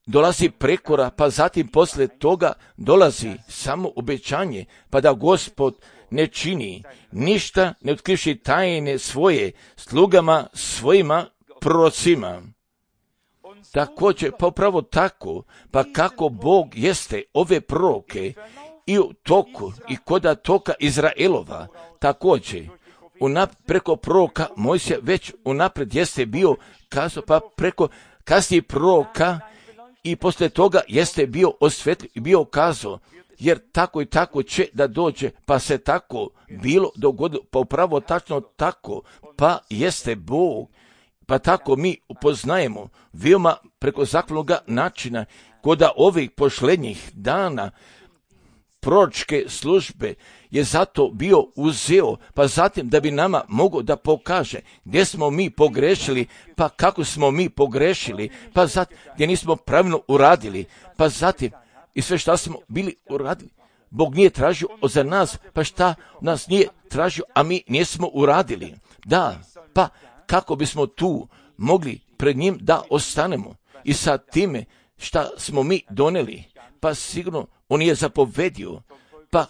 dolazi prekora, pa zatim poslije toga dolazi samo obećanje, pa da Gospod ne čini ništa, ne otkrivši tajne svoje slugama svojima prorocima. Također, pa upravo tako, pa kako Bog jeste ove proroke i u toku i koda toka Izraelova, također, unap, preko proroka Mojsija već unaprijed jeste bio kazao, pa preko kasnijih proroka i poslije toga jeste bio osvetljen i bio kazao, jer tako i tako će da dođe, pa se tako bilo dogodilo, pa upravo tačno tako, pa jeste Bog, pa tako mi upoznajemo veoma preko zaklonoga načina, koda ovih pošlednjih dana proročke službe je zato bio uzeo, pa zatim da bi nama mogao da pokaže gdje smo mi pogrešili, pa kako smo mi pogrešili, pa zatim gdje nismo pravilno uradili, pa zatim i sve šta smo bili uradili. Bog nije tražio za nas, pa šta nas nije tražio, a mi nismo uradili. Da, pa kako bismo tu mogli pred njim da ostanemo i sa time šta smo mi doneli, pa sigurno on je zapovedio, pa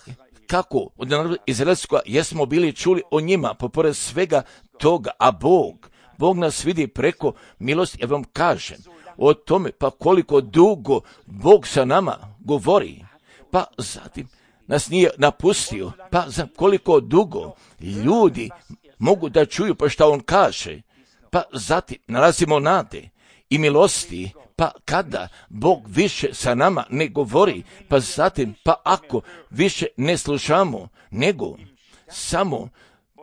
kako od naroda izraelskoga jesmo bili čuli o njima, pa pored svega toga, a Bog, Bog nas vidi preko milosti, ja vam kažem o tome, pa koliko dugo Bog sa nama govori, pa zatim nas nije napustio, pa za koliko dugo ljudi mogu da čuju pa šta on kaže, pa zatim nalazimo nade i milosti, pa kada Bog više sa nama ne govori, pa zatim, pa ako više ne slušamo, nego samo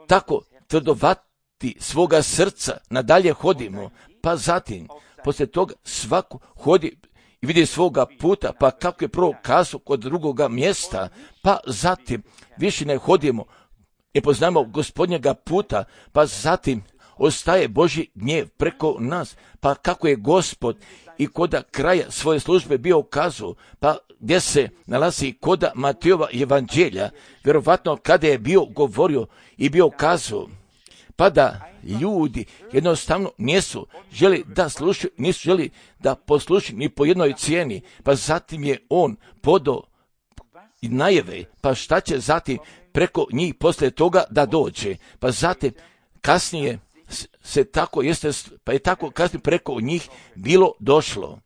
tako tvrdovati svoga srca nadalje hodimo, pa zatim, poslije toga svako hodi i vidi svoga puta, pa kako je prvo kazao kod drugoga mjesta, pa zatim više ne hodimo i poznamo Gospodnjega puta, pa zatim ostaje Božji gnjev preko nas, pa kako je Gospod i koda kraja svoje službe bio kazao, pa gdje se nalazi koda Matejova evanđelja, vjerovatno kada je bio govorio i bio kazao, pa da ljudi jednostavno nisu želi da slušaju, nisu želi da poslušaju ni po jednoj cijeni, pa zatim je on podao i najave, pa šta će zatim preko njih poslije toga da dođe, pa zatim kasnije se tako jeste, pa je tako kasnije preko njih bilo došlo.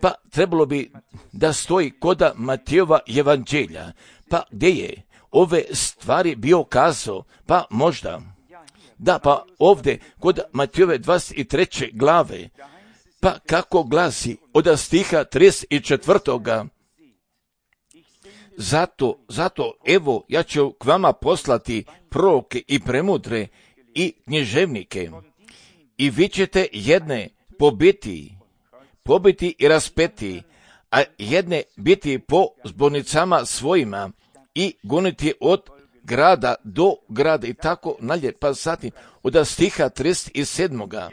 pa trebalo bi da stoji koda Matejova evanđelja, pa gdje je ove stvari bio kazao, pa možda, da, pa ovdje kod Matejove dvadeset treće glave, pa kako glasi od stiha trideset četvrtoga Zato, zato, evo, ja ću k vama poslati proroke i premudre i književnike i vi ćete jedne pobiti, pobiti i raspeti, a jedne biti po zbornicama svojima i goniti od grada do grada i tako nalje. Pa zatim od stiha trideset sedmoga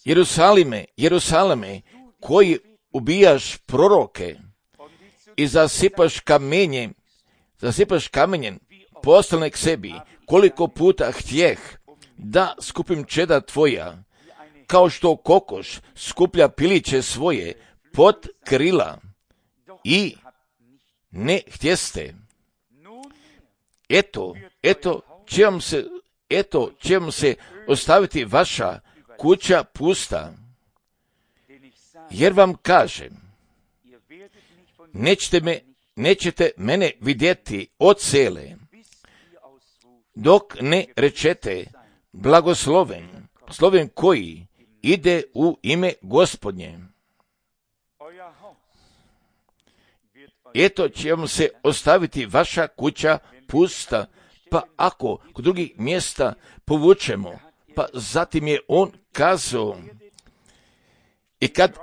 Jerusalime, Jerusalime, koji ubijaš proroke i zasipaš kamenjem, zasipaš kamenjem poslane k sebi, koliko puta htjeh da skupim čeda tvoja, kao što kokoš skuplja piliće svoje pod krila i ne htjeste. Eto, eto, će vam se, eto, će vam se ostaviti vaša kuća pusta, jer vam kažem, nećete, me, nećete mene vidjeti od sele, dok ne rečete blagosloven, sloven koji ide u ime Gospodnje. Eto će vam se ostaviti vaša kuća pusta, pa ako kod drugih mjesta povučemo, pa zatim je on kazao, i kad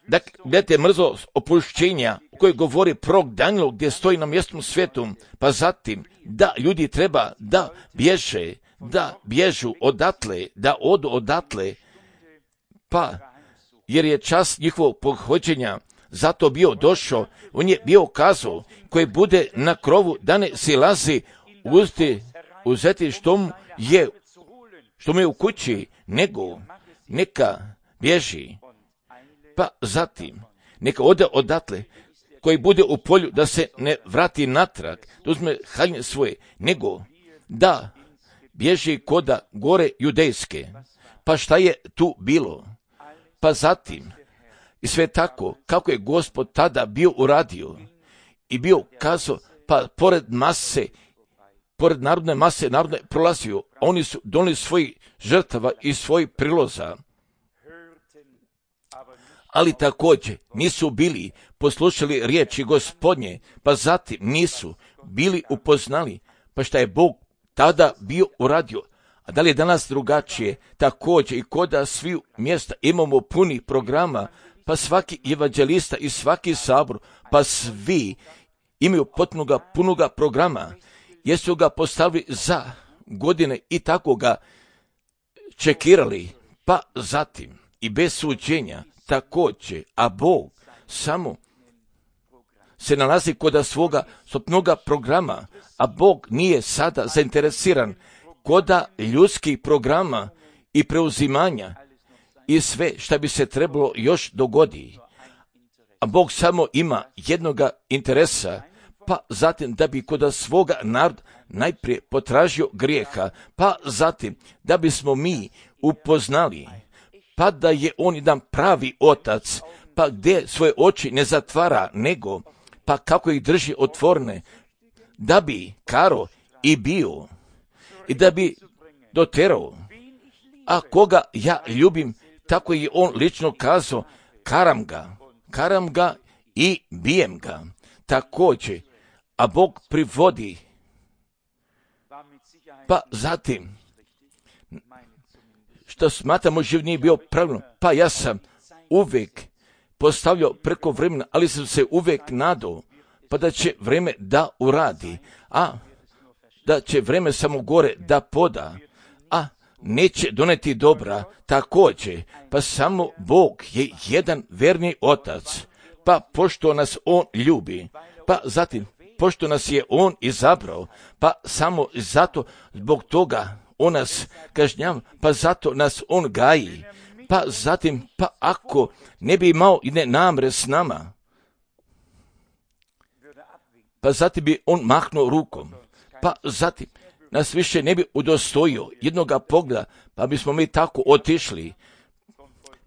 da gledate mrzo opušćenja u kojoj govori prorok Danijel gdje stoji na mjestom svijetu, pa zatim da ljudi treba da bježe, da bježu odatle, da odu odatle, pa jer je čas njihovog pohođenja zato bio došao, on je bio kazao koji bude na krovu da ne silazi uzeti, uzeti što mu je, što mu je u kući, nego neka bježi. Pa zatim, neka ode odatle, koji bude u polju da se ne vrati natrag, da uzme haljine svoje, nego da bježi koda gore judejske. Pa šta je tu bilo? Pa zatim, i sve tako, kako je Gospod tada bio uradio i bio kazao, pa pored mase, pored narodne mase, narodne prolazio, oni su donili svojih žrtava i svojih priloza, ali također nisu bili poslušali riječi Gospodnje, pa zatim nisu bili upoznali, pa šta je Bog tada bio uradio. A da li je danas drugačije? Također i koda svi mjesta imamo punih programa, pa svaki evanđelista i svaki sabor, pa svi imaju potpunoga punoga programa, jer su ga postavili za godine i tako ga čekirali, pa zatim i bez suđenja također, a Bog samo se nalazi kod svoga stopnoga programa, a Bog nije sada zainteresiran koda ljudskih programa i preuzimanja i sve što bi se trebalo još dogodi. A Bog samo ima jednoga interesa, pa zatim da bi kod svoga naroda najprije potražio grijeha, pa zatim da bismo mi upoznali, pa da je on jedan pravi otac, pa gdje svoje oči ne zatvara, nego pa kako ih drži otvorene, da bi karo i bio i da bi doterao. A koga ja ljubim, tako je on lično kazao, karam ga, karam ga i bijem ga. Također, a Bog privodi, pa zatim, što smatramo živ nije bio pravilno, pa ja sam uvijek postavljao preko vremena, ali sam se uvijek nadao, pa da će vreme da uradi, a da će vreme samo gore da poda, a neće doneti dobra također, pa samo Bog je jedan verni otac, pa pošto nas on ljubi, pa zatim pošto nas je on izabrao, pa samo zato zbog toga on nas kažnjava, pa zato nas on gaji, pa zatim, pa ako ne bi imao i ne namre s nama, pa zatim bi on mahnuo rukom, pa zatim nas više ne bi udostojio jednoga pogleda, pa bismo mi tako otišli,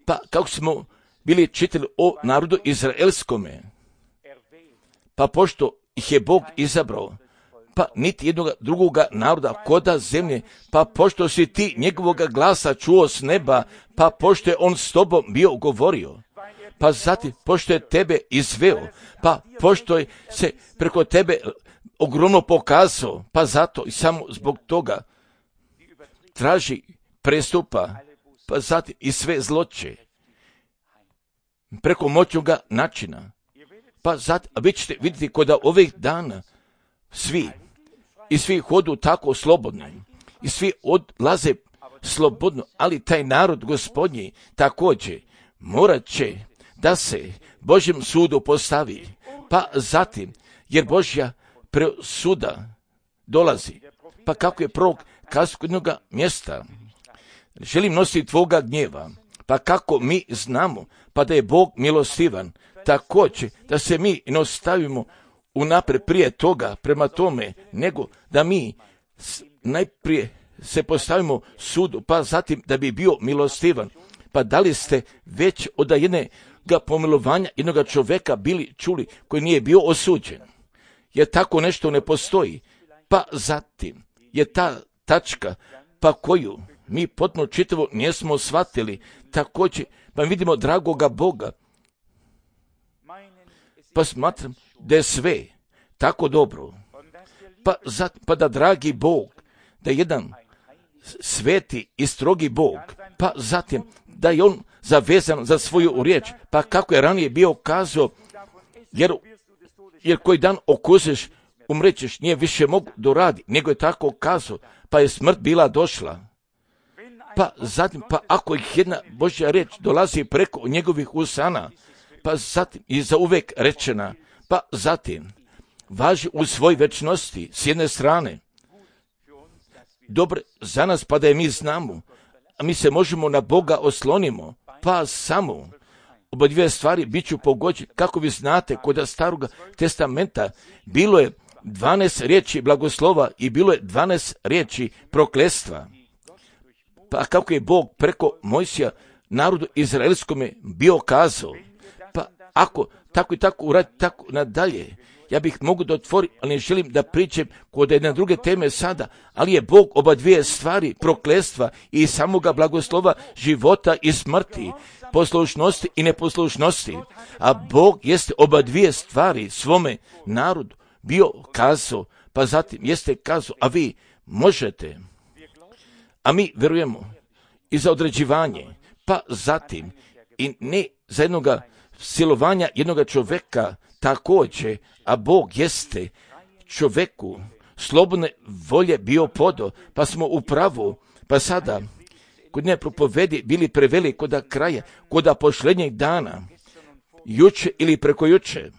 pa kako smo bili čitali o narodu izraelskome, pa pošto ih je Bog izabrao, pa niti jednog drugoga naroda koda zemlje, pa pošto si ti njegovoga glasa čuo s neba, pa pošto je on s tobom bio govorio, pa zatim pošto je tebe izveo, pa pošto je se preko tebe ogromno pokazao, pa zato i samo zbog toga traži prestupa, pa zatim i sve zloće preko moćnoga načina. Pa zatim, a vi ćete vidjeti kod ovih dana svi i svi hodu tako slobodno i svi odlaze slobodno, ali taj narod Gospodnji također morat će da se Božjem sudu postavi, pa zatim, jer Božja presuda dolazi, pa kako je prorok kazao kod jednoga mjesta, želim nositi tvoga gnjeva, pa kako mi znamo, pa da je Bog milostivan, također da se mi ne ostavimo unaprijed prije toga prema tome, nego da mi najprije se postavimo sudu, pa zatim da bi bio milostivan. Pa da li ste već od jednog pomilovanja jednog čovjeka bili čuli koji nije bio osuđen? Jer tako nešto ne postoji. Pa zatim je ta tačka, pa koju mi potpuno čitavo nismo shvatili, također, pa vidimo dragoga Boga, pa smatram da je sve tako dobro, pa, zat, pa da dragi Bog, da je jedan sveti i strogi Bog, pa zatim da je on zavezan za svoju riječ, pa kako je ranije bio kazao, jer, jer koji dan okusiš, umrećeš, nije više mogu doradi, nego je tako kazao, pa je smrt bila došla. Pa zatim, pa ako ih jedna Božja riječ dolazi preko njegovih usana, pa zatim i za uvek rečena, pa zatim važi u svoj večnosti s jedne strane. Dobro za nas, pa da je mi znamo, a mi se možemo na Boga oslonimo, pa samo oba dvije stvari bit ću pogođen. Kako vi znate, kod Staroga testamenta bilo je dvanaest riječi blagoslova i bilo je dvanaest riječi prokletstva. Pa kako je Bog preko Mojsija narodu izraelskome bio kazao, pa ako tako i tako uradi tako nadalje, ja bih mogu da otvorim, ali ne želim da pričam kod jedne druge teme sada, ali je Bog oba dvije stvari, prokletstva i samoga blagoslova, života i smrti, poslušnosti i neposlušnosti, a Bog jeste oba dvije stvari svome narodu bio kazao, pa zatim jeste kazao, a vi možete, a mi vjerujemo i za određivanje, pa zatim i ne za jednoga silovanja jednoga čovjeka također, a Bog jeste čovjeku slobodne volje bio podo, pa smo u pravu, pa sada kod nje propovedi bili preveli kod kraja, kod posljednjeg dana, juče ili preko juče,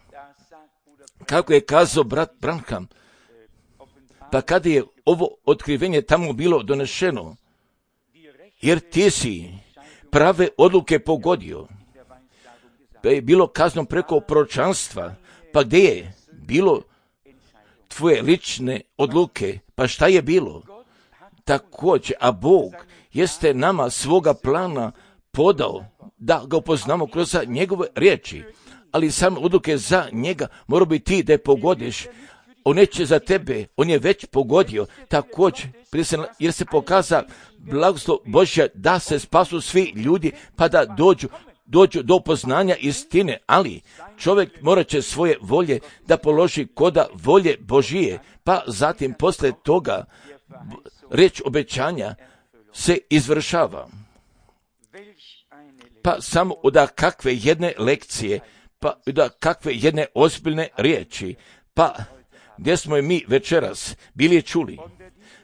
kako je kazao brat Branham, pa kada je ovo otkrivenje tamo bilo donešeno, jer ti si prave odluke pogodio, pa je bilo kazno preko proročanstva, pa gdje je bilo tvoje lične odluke, pa šta je bilo? Također, a Bog jeste nama svoga plana podao da ga upoznamo kroz njegove riječi, ali same odluke za njega mora biti ti da je pogodiš. On neće za tebe, on je već pogodio, također, jer se pokaza blagoslov Božja da se spasu svi ljudi, pa da dođu, dođu do poznanja istine, ali čovjek morat će svoje volje da položi koda volje Božije, pa zatim posle toga riječ obećanja se izvršava. Pa samo od kakve jedne lekcije, pa od kakve jedne ozbiljne riječi, pa gdje smo je mi večeras bili čuli,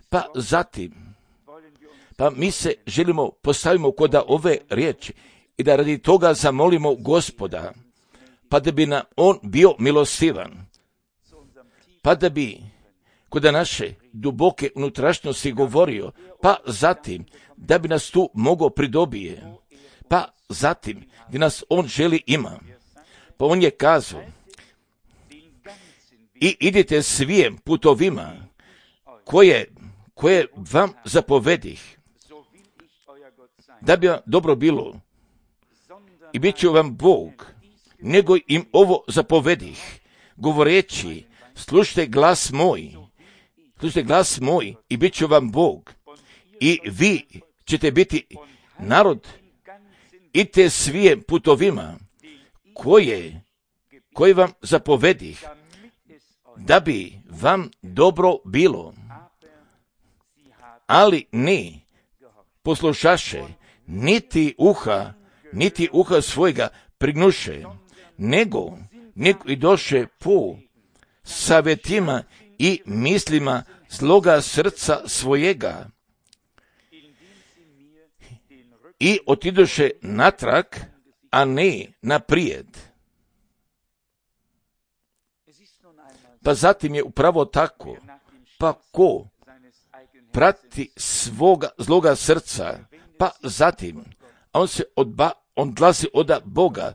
pa zatim, pa mi se želimo postavimo kod ove riječi i da radi toga zamolimo Gospoda, pa da bi nam on bio milostivan, pa da bi kod naše duboke unutrašnjosti govorio, pa zatim da bi nas tu mogao pridobije, pa zatim gdje nas on želi ima. Pa on je kazao, i idite svijem putovima koje, koje vam zapovedih, da bi vam dobro bilo, i bit će vam Bog, nego im ovo zapovedih, govoreći, slušajte glas moj, slušajte glas moj i bit će vam Bog, i vi ćete biti narod, idite svijem putovima koje, koje vam zapovedih, da bi vam dobro bilo. Ali ne poslušaše, niti uha, niti uha svojega prignuše, nego, nego i doše po savjetima i mislima zloga srca svojega i otidoše natrag, a ne naprijed. Pa zatim je upravo tako, pa ko prati svoga zloga srca, pa zatim on se odba, on odlazi od Boga,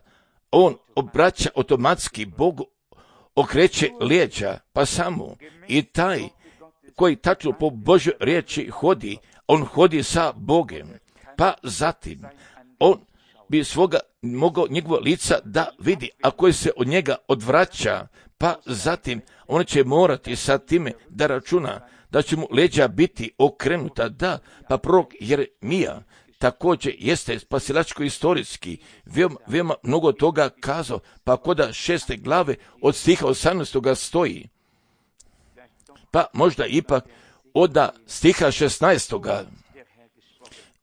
on obraća automatski Bogu, okreće lijeđa, pa samo i taj koji tačno po Božoj riječi hodi, on hodi sa Bogem, pa zatim on bi svoga mogao njegovo lica da vidi, a koji se od njega odvraća, pa zatim on će morati sa time da računa da će mu leđa biti okrenuta, da, pa prorok Jeremija također jeste spasilačko-istorijski, veoma, veoma mnogo toga kazao, pa koda šeste glave od stiha osamnaestoga stoji, pa možda ipak od stiha šesnaestoga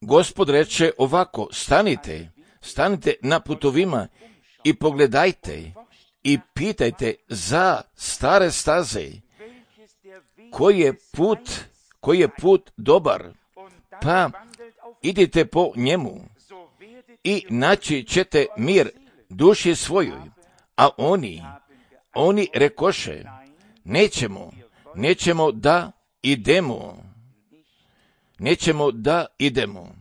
Gospod reče ovako, stanite, stanite na putovima i pogledajte i pitajte za stare staze, koji je put, koji je put dobar, pa idite po njemu i naći ćete mir duši svojoj. A oni, oni rekoše, nećemo, nećemo da idemo, nećemo da idemo.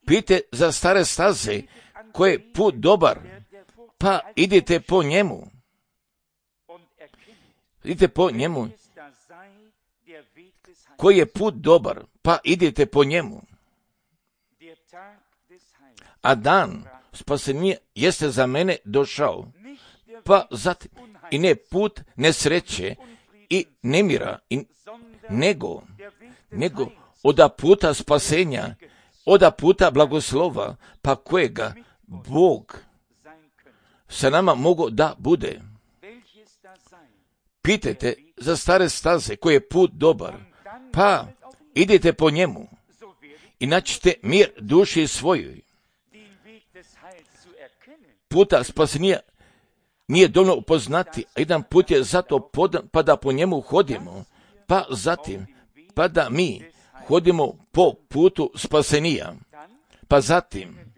Pite za stare staze, koji je put dobar, pa idite po njemu. Idite po njemu. Koji je put dobar, pa idite po njemu. A dan spasenja jeste za mene došao, pa zatim i ne put nesreće i nemira, i, nego, nego oda puta spasenja, oda puta blagoslova, pa kojega Bog sa nama mogo da bude. Pitajte za stare staze, koji je put dobar, pa idite po njemu i naćite mir duši svojoj. Puta spasenja nije dovoljno upoznati, a jedan put je zato podan, pa da po njemu hodimo, pa zatim, pa da mi hodimo po putu spasenija, pa zatim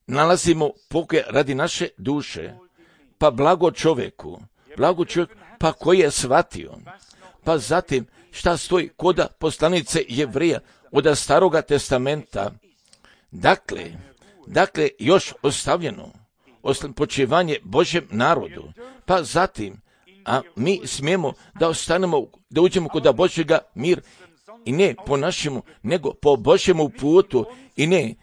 nalazimo pokoj radi naše duše, pa blago čovjeku, blago čovjeku, pa koji je shvatio, pa zatim šta stoji koda poslanice Jevrija od Staroga testamenta, dakle, dakle još ostavljeno, počivanje Božjem narodu, pa zatim, a mi smijemo da ostanemo, da uđemo kod Božjega mir, i ne po našemu, nego po Božjemu putu, i ne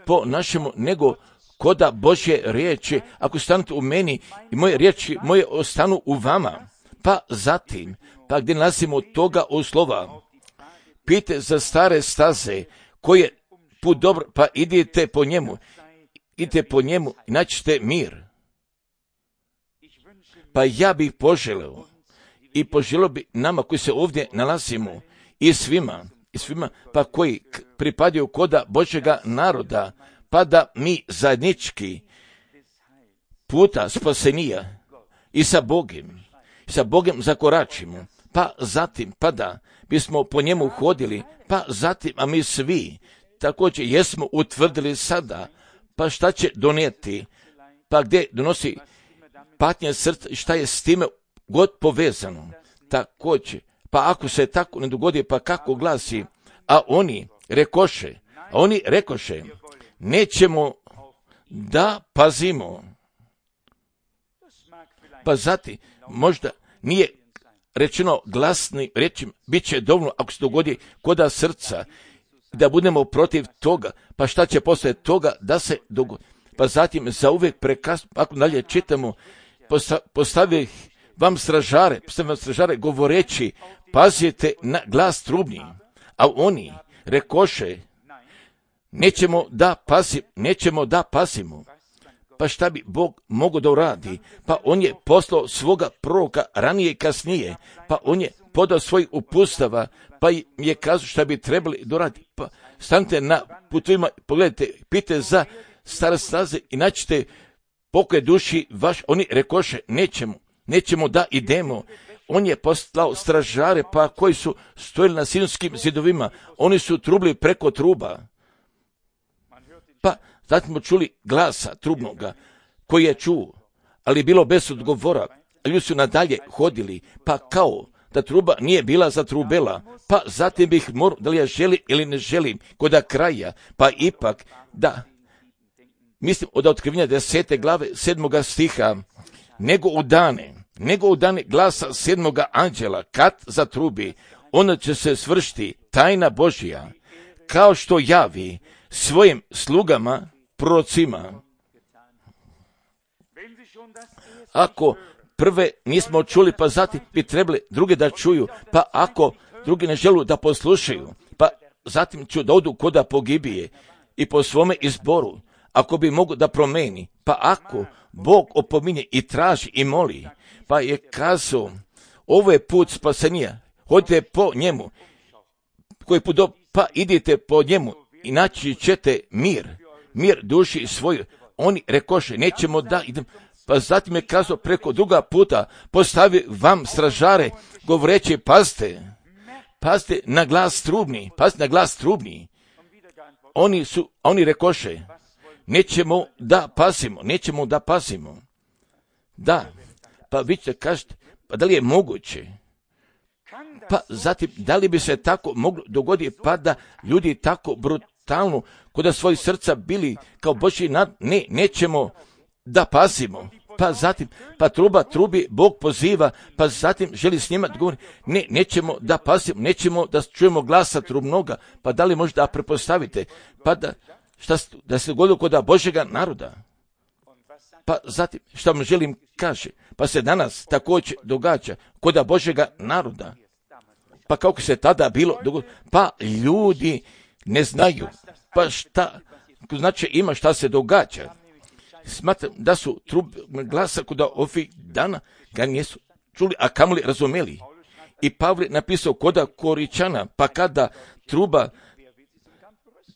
po našemu, nego koda Božje riječi, ako stanete u meni i moje riječi moje ostanu u vama, pa zatim, pa gdje nalazimo toga uslova, pite za stare staze, koji je put dobro, pa idite po njemu, idite po njemu i naćite mir. Pa ja bih poželeo i poželio bi nama koji se ovdje nalazimo i svima, i svima pa koji pripadaju koda Božjega naroda, pa da mi zajednički puta spasenija i sa Bogom, i sa Bogom zakoračimo, pa zatim, pa da bismo po njemu hodili, pa zatim, a mi svi također jesmo utvrdili sada, pa šta će donijeti, pa gdje donosi patnje srca i šta je s time god povezano, također, pa ako se tako ne dogodi, pa kako glasi, a oni rekoše, a oni rekoše, nećemo da pazimo, pa zatim, možda nije rečeno glasnim rečima, bit će dovoljno ako se dogodi koda srca da budemo protiv toga, pa šta će poslije toga da se dogodi. Pa zatim zauvijek prekasno, ako dalje čitamo, postavi vam stražare, postavi vam stražare govoreći, pazite na glas trubni, a oni rekoše, nećemo da pasim, nećemo da pasimo. Pa šta bi Bog mogao da uradi? Pa on je poslao svoga proroka ranije i kasnije, pa on je podao svoj upustava, pa im je kazao šta bi trebali da uradi. Pa stanite na putovima, pogledajte, pite za stare staze i naćete pokoj duši vaš. Oni rekoše, nećemo, nećemo da idemo. On je poslao stražare, pa koji su stojili na Sinjskim zidovima, oni su trubili preko truba. Pa zatim smo čuli glasa trubnoga koji je čuo, ali je bilo bez odgovora. Ljudi su nadalje hodili, pa kao da truba nije bila zatrubela, pa zatim bih morao, da li ja želim ili ne želim, kod kraja, pa ipak da, mislim od otkrivenja desete glave sedmoga stiha, nego u dane, nego u dane glasa sedmoga anđela, kad zatrubi, onda će se svršiti tajna Božja, kao što javi svojim slugama, prorocima. Ako prve nismo čuli, pa zatim bi trebali druge da čuju, pa ako drugi ne žele da poslušaju, pa zatim ću da odu koda pogibije i po svome izboru, ako bi mogu da promeni, pa ako Bog opominje i traži i moli, pa je kazao, ovo je put spasenja, hodite po njemu, koji put do, pa idite po njemu i naći ćete mir, mir duši svoju. Oni rekoše, nećemo da idem, pa zatim je kazao preko druga puta, postavi vam stražare, govoreći, pazite, pazite na glas trubni, pazite na glas trubni. Oni su, oni rekoše, nećemo da pasimo, nećemo da pasimo. Da, pa vi ćete kažete, pa da li je moguće? Pa zatim, da li bi se tako moglo dogoditi, pa da ljudi tako brutalno, kod da svoj srca bili kao Božji nad, ne, nećemo da pasimo. Pa zatim, pa truba trubi, Bog poziva, pa zatim želi s njima da govori, ne, nećemo da pasimo, nećemo da čujemo glasa trubnoga, pa da li možda prepostavite, pa da, šta, da se dogodilo kod Božjega naroda. Pa zatim, šta vam želim kaže, pa se danas također događa kod Božjega naroda. Pa kako se tada bilo dogodilo, pa ljudi ne znaju, pa šta, znači ima šta se događa. Smatram da su trub glasa kod ovih dana ga nisu čuli, a kamoli razumeli. I Pavle napisao kod Koričana, pa kada truba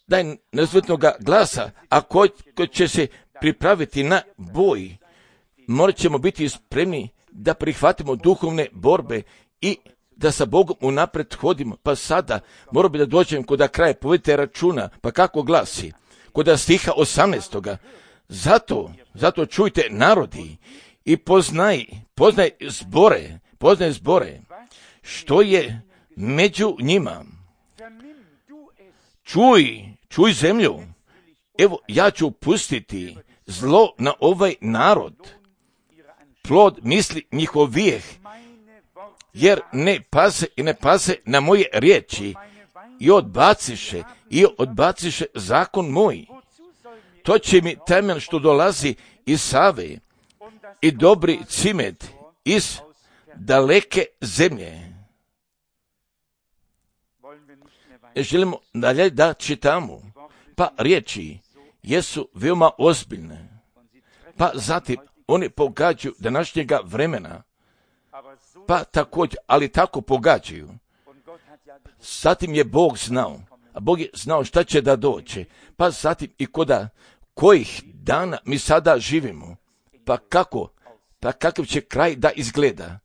daj nezvutnoga glasa, a ko, ko će se pripraviti na boj, morat ćemo biti spremni da prihvatimo duhovne borbe i da sa Bogom unapred hodimo. Pa sada moram bi da dođem kod kraja, povedite računa, pa kako glasi, kod stiha osamnaestoga. Zato, zato čujte narodi i poznaj, poznaj zbore, poznaj zbore, što je među njima. Čuj, čuj zemlju, evo ja ću pustiti zlo na ovaj narod, plod misli njihovijeh, jer ne paze i ne paze na moje riječi i odbaciše, i odbaciše zakon moj. To će mi temen što dolazi iz Save i dobri cimet iz daleke zemlje. Želimo dalje da čitamo, pa riječi jesu veoma ozbiljne, pa zatim oni pogađaju današnjega vremena, pa također, ali tako pogađaju. Zatim je Bog znao, a Bog je znao šta će da dođe, pa zatim i koda kojih dana mi sada živimo, pa kako, pa kakav će kraj da izgleda.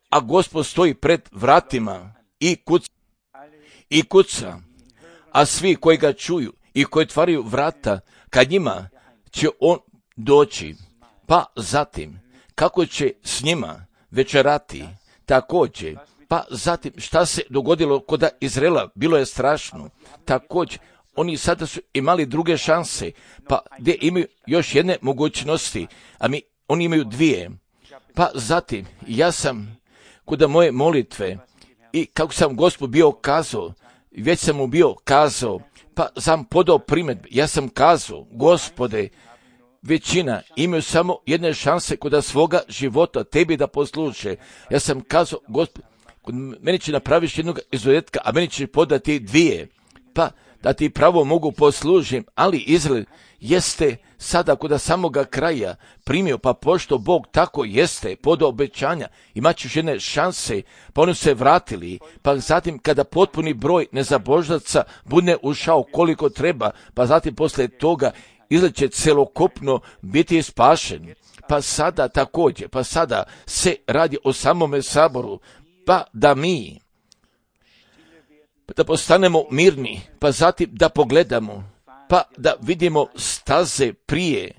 A Gospod stoji pred vratima i kuca, i kuca, a svi koji ga čuju i koji otvaraju vrata, kad njima će on doći, pa zatim kako će s njima večerati, također, pa zatim šta se dogodilo kod Izraela, bilo je strašno, također, oni sada su imali druge šanse, pa gdje imaju još jedne mogućnosti, a mi, oni imaju dvije, pa zatim, ja sam kod moje molitve i kako sam Gospod bio kazao, već sam mu bio kazao, pa sam podao primjedbe, ja sam kazao, Gospode, većina imaju samo jedne šanse kod svoga života tebi da posluše. Ja sam kazao, Gospode, meni će napraviš jednog izuzetka, a meni će podati dvije, pa da ti pravo mogu poslužim, ali Izrael jeste sada kod samoga kraja primio, pa pošto Bog tako jeste pod obećanja, imat ćeš jedne šanse, pa oni se vratili, pa zatim kada potpuni broj nezabožnaca bude ušao koliko treba, pa zatim posle toga Izrael će celokupno biti spašen. Pa sada također, pa sada se radi o samome saboru, pa da mi da postanemo mirni, pa zatim da pogledamo, pa da vidimo staze prije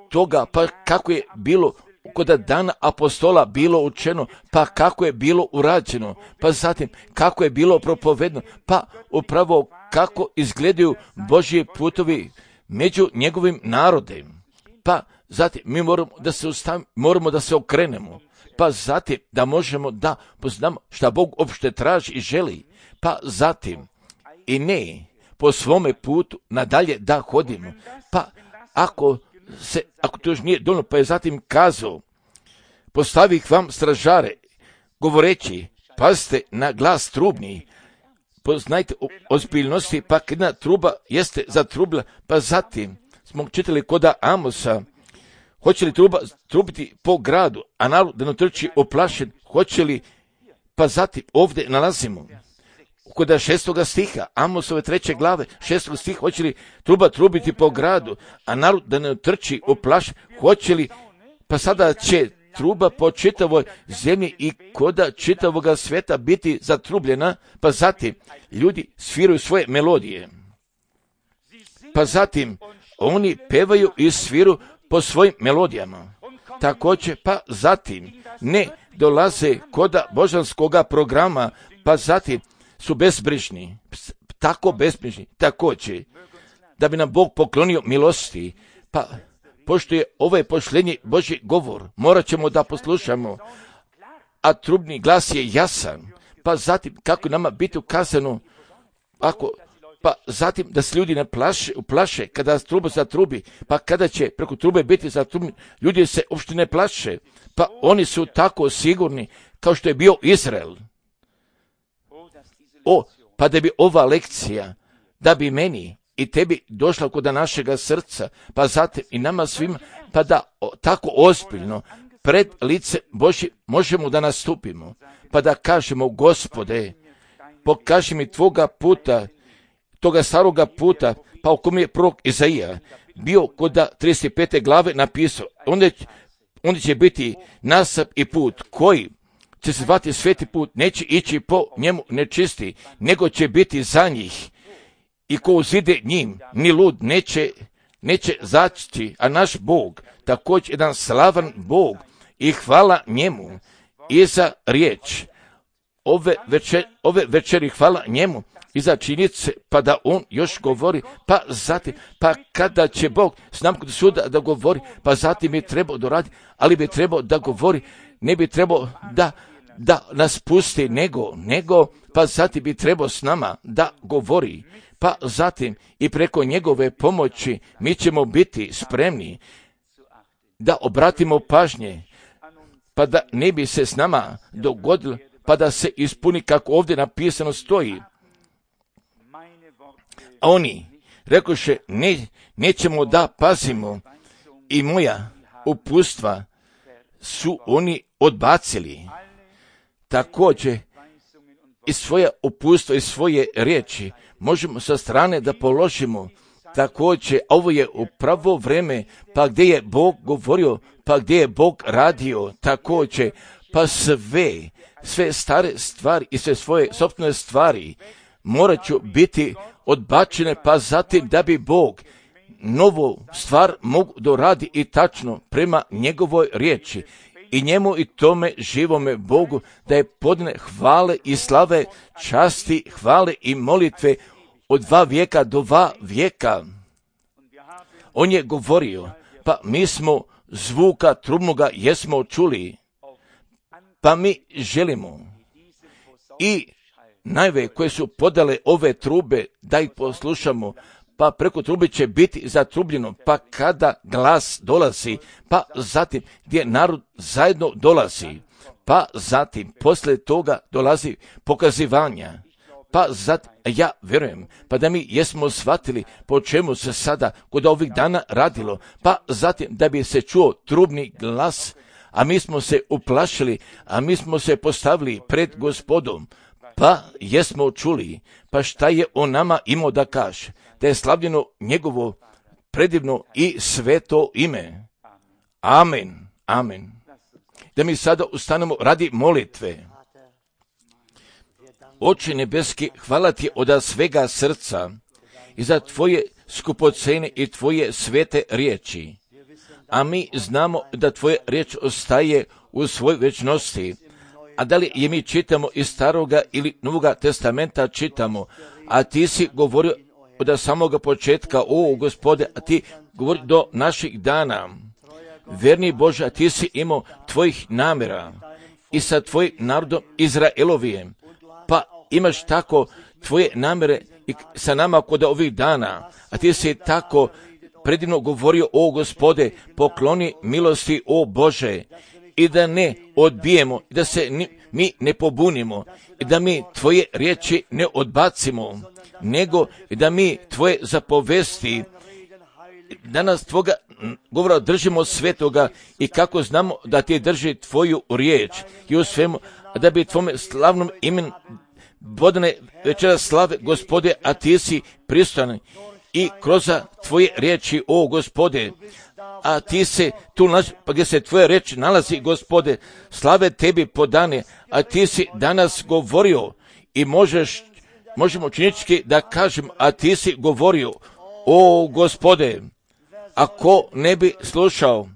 toga, pa kako je bilo kod dana apostola bilo učeno, pa kako je bilo urađeno, pa zatim kako je bilo propovedno, pa upravo kako izgledaju Božji putovi među njegovim narodem. Pa zatim mi moramo da se ustavimo, moramo da se okrenemo, pa zatim da možemo da poznamo šta Bog uopšte traži i želi, pa zatim i ne po svome putu nadalje da hodimo. Pa ako se, ako to još nije dovoljno, pa je zatim kazao, postavih vam stražare, govoreći, pazite na glas trubni, poznajte ozbiljnosti, pa jedna truba jeste zatrubila, pa zatim smo čitali koda Amosa, hoće li truba trubiti po gradu, a narod da ne trči oplašen, hoće li, pa zatim ovdje nalazimo, kod šestoga stiha, Amosove treće glave, šestoga stiha, hoće li truba trubiti po gradu, a narod da ne trči oplašen, hoće li, pa sada će truba po čitavoj zemlji i koda čitavoga sveta biti zatrubljena, pa zatim ljudi sviraju svoje melodije. Pa zatim oni pevaju i sviru po svojim melodijama. Također, pa zatim ne dolaze koda božanskoga programa, pa zatim su bezbrižni, tako bezbrižni, također, da bi nam Bog poklonio milosti, pa pošto je ovaj pošlenji Božji govor, morat ćemo da poslušamo, a trubni glas je jasan, pa zatim kako nama biti ukazano, ako, pa zatim da se ljudi ne plaše, uplaše kada truba zatrubi, pa kada će preko trube biti zatrubni, ljudi se uopšte ne plaše, pa oni su tako sigurni kao što je bio Izrael. O, pa da bi ova lekcija, da bi meni i tebi došla kod našega srca, pa zatim i nama svima, pa da o, tako ozbiljno pred lice Božje možemo da nastupimo, pa da kažemo, Gospode, pokaži mi tvoga puta, toga staroga puta, pa u kom je prorok Izaija bio kod trideset pete glave napisao, onda, onda će biti nasap i put koji će se zvati sveti put, neće ići po njemu nečisti, nego će biti za njih. I ko uzide njim, ni lud neće, neće zaći, a naš Bog, također jedan slavan Bog, i hvala njemu i za riječ. Ove, večer, ove večeri hvala njemu i za činjenice, pa da on još govori, pa zatim, pa kada će Bog s nam kod suda da govori, pa zatim je trebao doraditi, ali bi trebao da govori, ne bi trebao da da nas pusti, nego, nego, pa zatim bi trebao s nama da govori, pa zatim i preko njegove pomoći mi ćemo biti spremni da obratimo pažnje, pa da ne bi se s nama dogodilo, pa da se ispuni kako ovdje napisano stoji. A oni rekoše, ne, nećemo da pazimo i moja upustva su oni odbacili. Također i svoje upustvo i svoje riječi možemo sa strane da položimo. Također, ovo je upravo vreme, pa gdje je Bog govorio, pa gdje je Bog radio, također, pa sve, sve stare stvari i sve svoje sopstvene stvari morat ću biti odbačene, pa zatim da bi Bog novu stvar mogu doradi i tačno prema njegovoj riječi. I njemu i tome živome Bogu da je podne hvale i slave, časti, hvale i molitve od dva vijeka do dva vijeka. On je govorio, pa mi smo zvuka trubnoga jesmo čuli, pa mi želimo i najve koje su podale ove trube, da ih poslušamo, pa preko trube će biti zatrubljeno, pa kada glas dolazi, pa zatim gdje narod zajedno dolazi, pa zatim poslije toga dolazi pokazivanja, pa zatim, ja vjerujem, pa da mi jesmo shvatili po čemu se sada kod ovih dana radilo, pa zatim da bi se čuo trubni glas, a mi smo se uplašili, a mi smo se postavili pred Gospodom, pa jesmo čuli, pa šta je o nama imao da kaže, da je slavljeno njegovo predivno i sveto ime. Amen, amen. Da mi sada ustanemo radi molitve. Oče nebeski, hvala ti od svega srca i za tvoje skupocene i tvoje svete riječi. A mi znamo da tvoja riječ ostaje u svoj večnosti. A da li je mi čitamo iz Staroga ili Novoga testamenta čitamo, a ti si govorio od samoga početka, o Gospode, a ti govori do naših dana. Verni Bože, a ti si imao tvojih namjera i sa tvojim narodom Izraelovijem, pa imaš tako tvoje namjere i sa nama kod ovih dana, a ti si tako predivno govorio, o Gospode, pokloni milosti, o Bože, i da ne odbijemo, da se ni, mi ne pobunimo, i da mi tvoje riječi ne odbacimo, nego da mi tvoje zapovesti, da nas tvoga govora držimo svetoga i kako znamo da ti drži tvoju riječ i u svemu, da bi tvome slavnom imenu vodane večera slave, Gospode, a ti si pristojan i kroz tvoje riječi, o Gospode, a ti se tu nalazi, pa gdje se tvoja riječ nalazi, Gospode, slave tebi podane, a ti si danas govorio i možeš, možemo činički da kažem, a ti si govorio, o Gospode, ako ne bi slušao,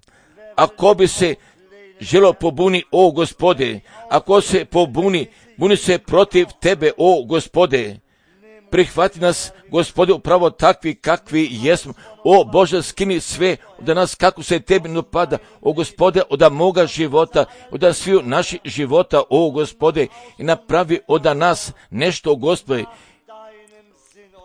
ako bi se želo pobuni, o Gospode, ako se pobuni, buni se protiv tebe, o Gospode, prihvati nas, Gospode, upravo takvi kakvi jesmo, o Bože, skini sve od nas kako se tebi napada, o Gospode, od moga života, od sviju naših života, o Gospode, i napravi od nas nešto, Gospode,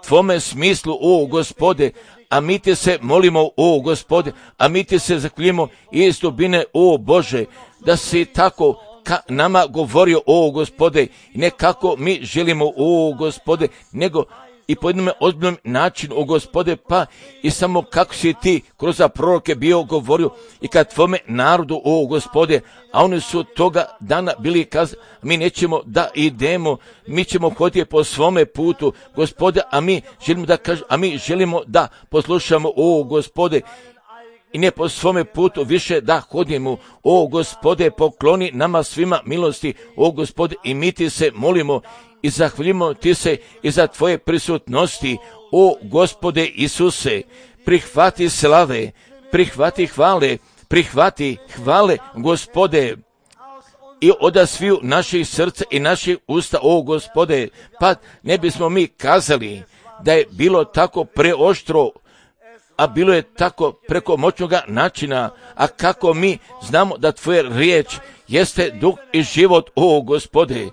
tvome smislu, o Gospode, a mi te se molimo, o Gospode, a mi te se zahvaljujemo iz dubine, o Bože, da si tako ka nama govorio, o Gospode, i ne kako mi želimo, o Gospode, nego i po jednom ozbiljnom načinu, o Gospode, pa i samo kako si ti kroz proroke bio govorio i kad tvome narodu, o Gospode, a oni su toga dana bili kazali, mi nećemo da idemo, mi ćemo hoditi po svome putu, Gospode, a mi želimo da kažemo, a mi želimo da poslušamo, o Gospode, i ne po svome putu više da hodimo, o Gospode, pokloni nama svima milosti, o Gospode, i mi ti se molimo i zahvaljujemo ti se i za tvoje prisutnosti, o Gospode Isuse, prihvati slave, prihvati hvale, prihvati hvale, Gospode, i od sviju naših srca i naših usta, o Gospode, pa ne bismo mi kazali da je bilo tako preoštro, a bilo je tako preko moćnoga načina, a kako mi znamo da tvoja riječ jeste duh i život, o Gospode,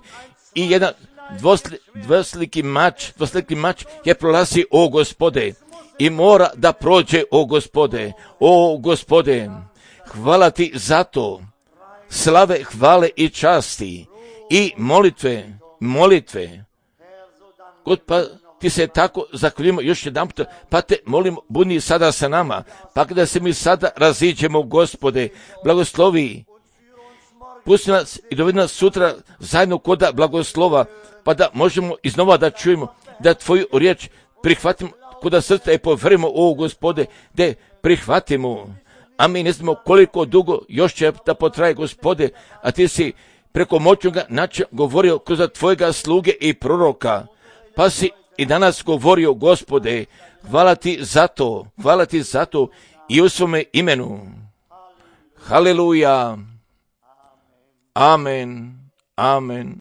i jedan dvosli, dvosliki mač, dvosliki mač je prolazi, o Gospode, i mora da prođe, o Gospode, o Gospode, hvala ti za to, slave, hvale i časti, i molitve, molitve, God, pa ti se tako zahvaljujemo još jedan put, pa te molimo, budi sada sa nama, pa kada se mi sada raziđemo, Gospode, blagoslovi, pusti nas i dovedi nas sutra zajedno koda blagoslova, pa da možemo iznova da čujemo, da tvoju riječ prihvatimo koda srca i poverimo, o Gospode, da prihvatimo, a mi ne znamo koliko dugo još će da potraje, Gospode, a ti si preko moćnoga načina govorio kroz tvojega sluge i proroka, pa si i danas govorio, Gospode, hvala ti za to, hvala ti za to i u svome imenu. Haleluja. Amen. Amen.